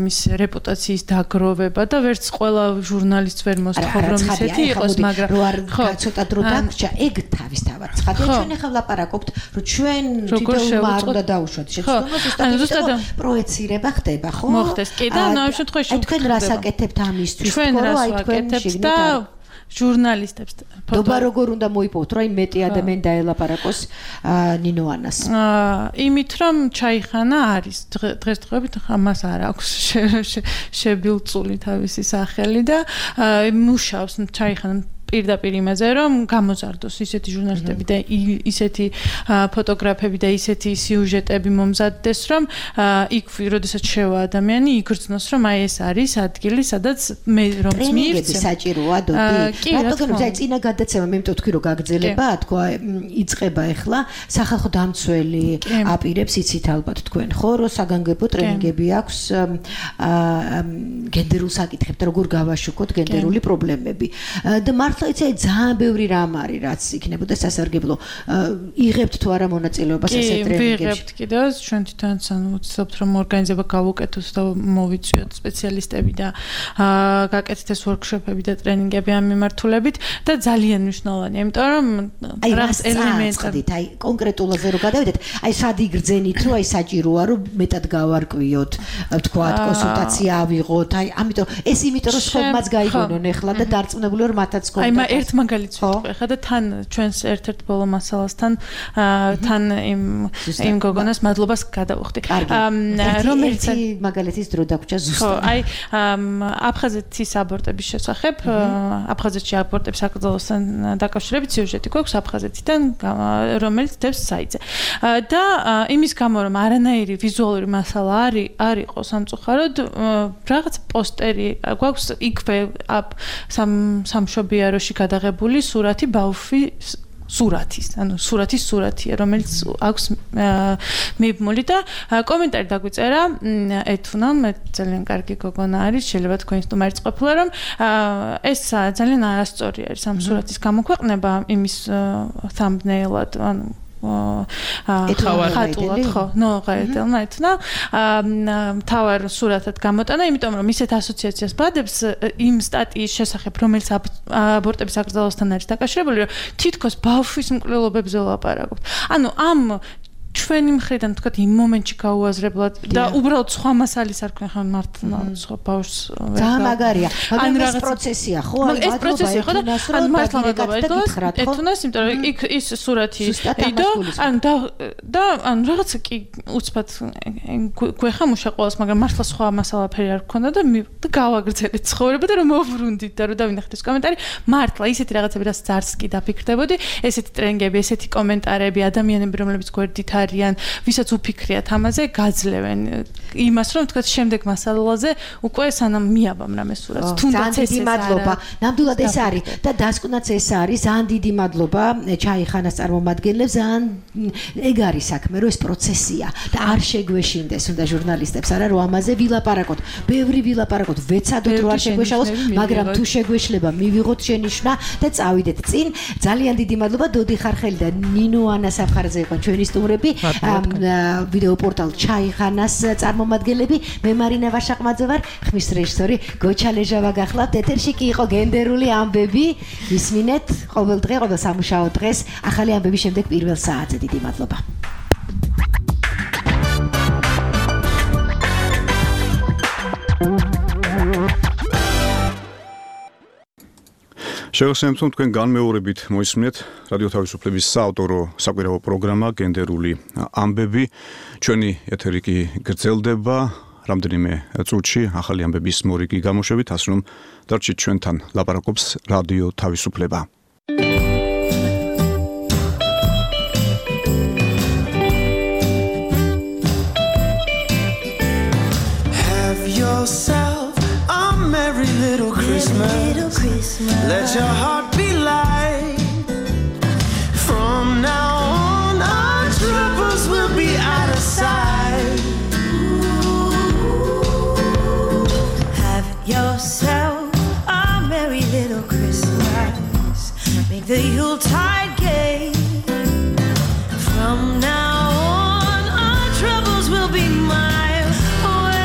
მის რეპუტაციის დაგროვება და ვერც ყველა ჟურნალისტს ვერ მოსთხოვ რომ ისეთი იყოს მაგრამ ხო ცოტა დრო დაგრჩა ეგ თავისთავად ცხადია ჩვენ ახლა ვლაპარაკობთ რომ ჩვენ თვითონ არ უნდა დაუშვათ შეცდომას პროექცირება ხდება ხო მოხდეს კი და ამ შემთხვევაში თქვენ რას აკეთებთ ამისთვის ჩვენ რას ვაკეთებთ და ჟურნალისტებს დობა როგორ უნდა მოიპოვოთ რომ აი მეტი ადამიანი დაელაპარაკოს ნინოანას იმით რომ ჩაიხანა არის დღესდღეობით ამას არ აქვს შებილწული თავისი სახელი და მუშაობს ჩაიხანა პირდაპირ იმაზე რომ გამოზარდოს ისეთი ჟურნალისტები და ისეთი ფოტოგრაფები და ისეთი სიუჟეტები მომზადდეს რომ იქ როდესაც შევა ადამიანი იგრძნოს რომ აი ეს არის ადგილი სადაც მე რომ მიირჩე საჭიროა დოდი რატომ აი წინა გადაცემა მე მეტყვი თქვი რომ გაგრძელება თქვა იწება ახლა სახალხო დამცველი აპირებს იცით ალბათ თქვენ ხო რომ საგანგებო ტრენინგები აქვს გენდერულ საკითხებთან როგორ გავაშუქოთ გენდერული პრობლემები და მართლა იცი ძალიან ბევრი რამ არის რაც იქნებოდა სასარგებლო იღებთ თუ არა მონაწილეობას ესე ტრენინგებში ვიღებთ კიდევ ჩვენ თვითონაც ანუ ვცდილობთ რომ ორგანიზება გავუკეთოთ და მოვიწვიოთ სპეციალისტები და გაკეთეთ ეს ვორქშოპები და ტრენინგები ამ მიმართულებით და ძალიან მნიშვნელოვანია იმიტომ რომ რას ელემენტები აი კონკრეტულაზე რომ გადავიდეთ აი სად იგრძენით რომ აი საჭიროა რომ მეტად გავარკვიოთ თქვათ კონსულტაცია ავიღოთ აი ამიტომ ეს იმიტომ რომ სხვებმაც გაიგონონ ახლა და დარწმუნებული ვარ მათაც აი მე ერთ მაგალითს ვიტყვი ხა და თან ჩვენს ერთ-ერთ ბოლო მასალასთან თან იმ იმ გოგონას მადლობას გადავუხდი რომელიც მაგალითის დრო დაგვრჩა ზუსტად ხო აი აფხაზეთის აბორტების შესახებ აფხაზეთში აბორტების აკრძალვასთან დაკავშირებით სიუჟეტი გვაქვს აფხაზეთიდან რომელიც დევს საიტზე და იმის გამო რომ არანაირი ვიზუალური მასალა არის არ იყო სამწუხაროდ რაღაც პოსტერი გვაქვს იქვე სამ სამშობიარო გადაღებული სურათი ბავშვის სურათის, ანუ სურათის სურათია, რომელიც აქვს მიბმული და კომენტარი დაგვიწერა ეთუნა, მე ძალიან კარგი გოგონა არის, შეიძლება თქვენ სტუმარიც ყოფილა, რომ ეს ძალიან არასწორი არის ამ სურათის გამოქვეყნება იმის thumbnail-ად, ანუ ხატულად ხო, ნო გაეტელმა ეთნა თავარ სურათად გამოტანა, იმიტომ რომ ისეთ ასოციაციას ბადებს იმ სტატიის შესახებ, რომელიც აბორტების აკრძალვასთან არის დაკავშირებული, რომ თითქოს ბავშვის მკვლელობებზე ვლაპარაკობთ. ანუ ამ ჩვენი მხრიდან თქვათ იმ მომენტში გაუაზრებლად და უბრალოდ სხვა მასალის არ ქნა ხან მართლა სხვა ბავშვს ძალიან მაგარია მაგრამ ეს პროცესია ხო ეს პროცესია ხო და ან მართლა მაგალითად ეთუნას იმიტომ რომ იქ ის სურათი იდო ან და და ან რაღაცა კი უცბად გვეხამუშა ყოველს მაგრამ მართლა სხვა მასალაფერი არ ქონდა და გავაგრძელეთ ცხოვრება და რომ მოვვრუნდით და რომ დავინახეთ ეს კომენტარი მართლა ისეთი რაღაცები რაც ძარს კი დაფიქრდებოდი ესეთი ტრენინგები ესეთი კომენტარები ადამიანები რომლებიც გვერდით არიან, ვისაც უფიქრიათ ამაზე, გაძლევენ იმას, რომ თქვათ შემდეგ მასალაზე უკვე სანამ მიაბამრამ ეს სურათს. თუნდაც ეს მადლობა. ნამდვილად ეს არის და დასკვნაც ეს არის. ძალიან დიდი მადლობა ჩაიხანას წარმომადგენლებს. ძალიან ეგ არის საქმე, რომ ეს პროცესია და არ შეგვეშინდეს უნდა ჟურნალისტებს არა რომ ამაზე ვილაპარაკოთ. ბევრი ვილაპარაკოთ, ვეცადოთ რომ არ შეგვეშალოს, მაგრამ თუ შეგვეშლება, მივიღოთ შენიშვნა და წავიდეთ წინ. ძალიან დიდი მადლობა დოდი ხარხელი და ნინო ანა საფხარაძე იყო ჩვენი სტუმრები. ვიდეო პორტალ ჩაიხანას წარმომადგენლები მე მარინა ვაშაყმაძე ვარ ხმის რეჟისორი გოჩა ლეჟავა გახლავთ ეთერში კი იყო გენდერული ამბები ისმინეთ ყოველ დღე ყოველ სამუშაო დღეს ახალი ამბების შემდეგ პირველ საათზე დიდი მადლობა შეგახსენებთ რომ თქვენ განმეორებით მოისმინეთ რადიო თავისუფლების საავტორო საკვირაო პროგრამა გენდერული ამბები ჩვენი ეთერი კი გრძელდება რამდენიმე წუთში ახალი ამბების მორიგი გამოშვებით ასე რომ დარჩით ჩვენთან ლაპარაკობს რადიო თავისუფლება Have yourself a merry little Christmas. Little Christmas. Let your heart be light. From now on, our troubles will be out of sight. Have yourself a merry little Christmas. Make the Yuletide gay. From now on, our troubles will be miles away.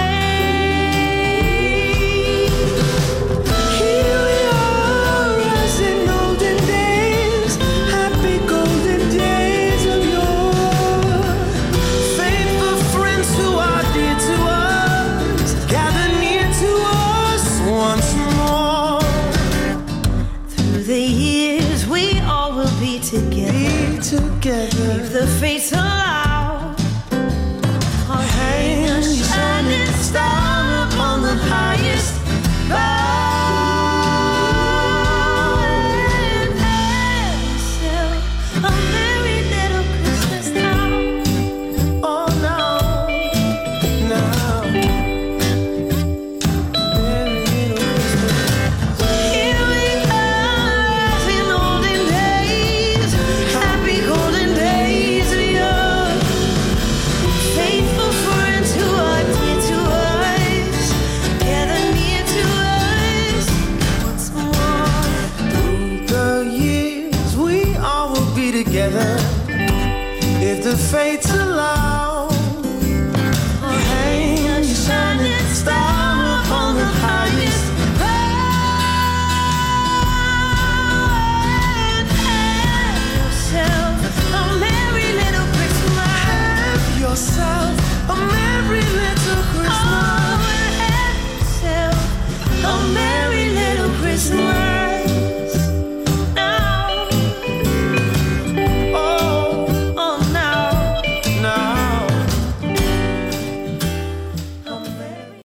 Here we are, as in olden days, happy golden days of yore. Faithful friends who are dear to us, gather near to us once more. Through the years, we all will be together. Be together.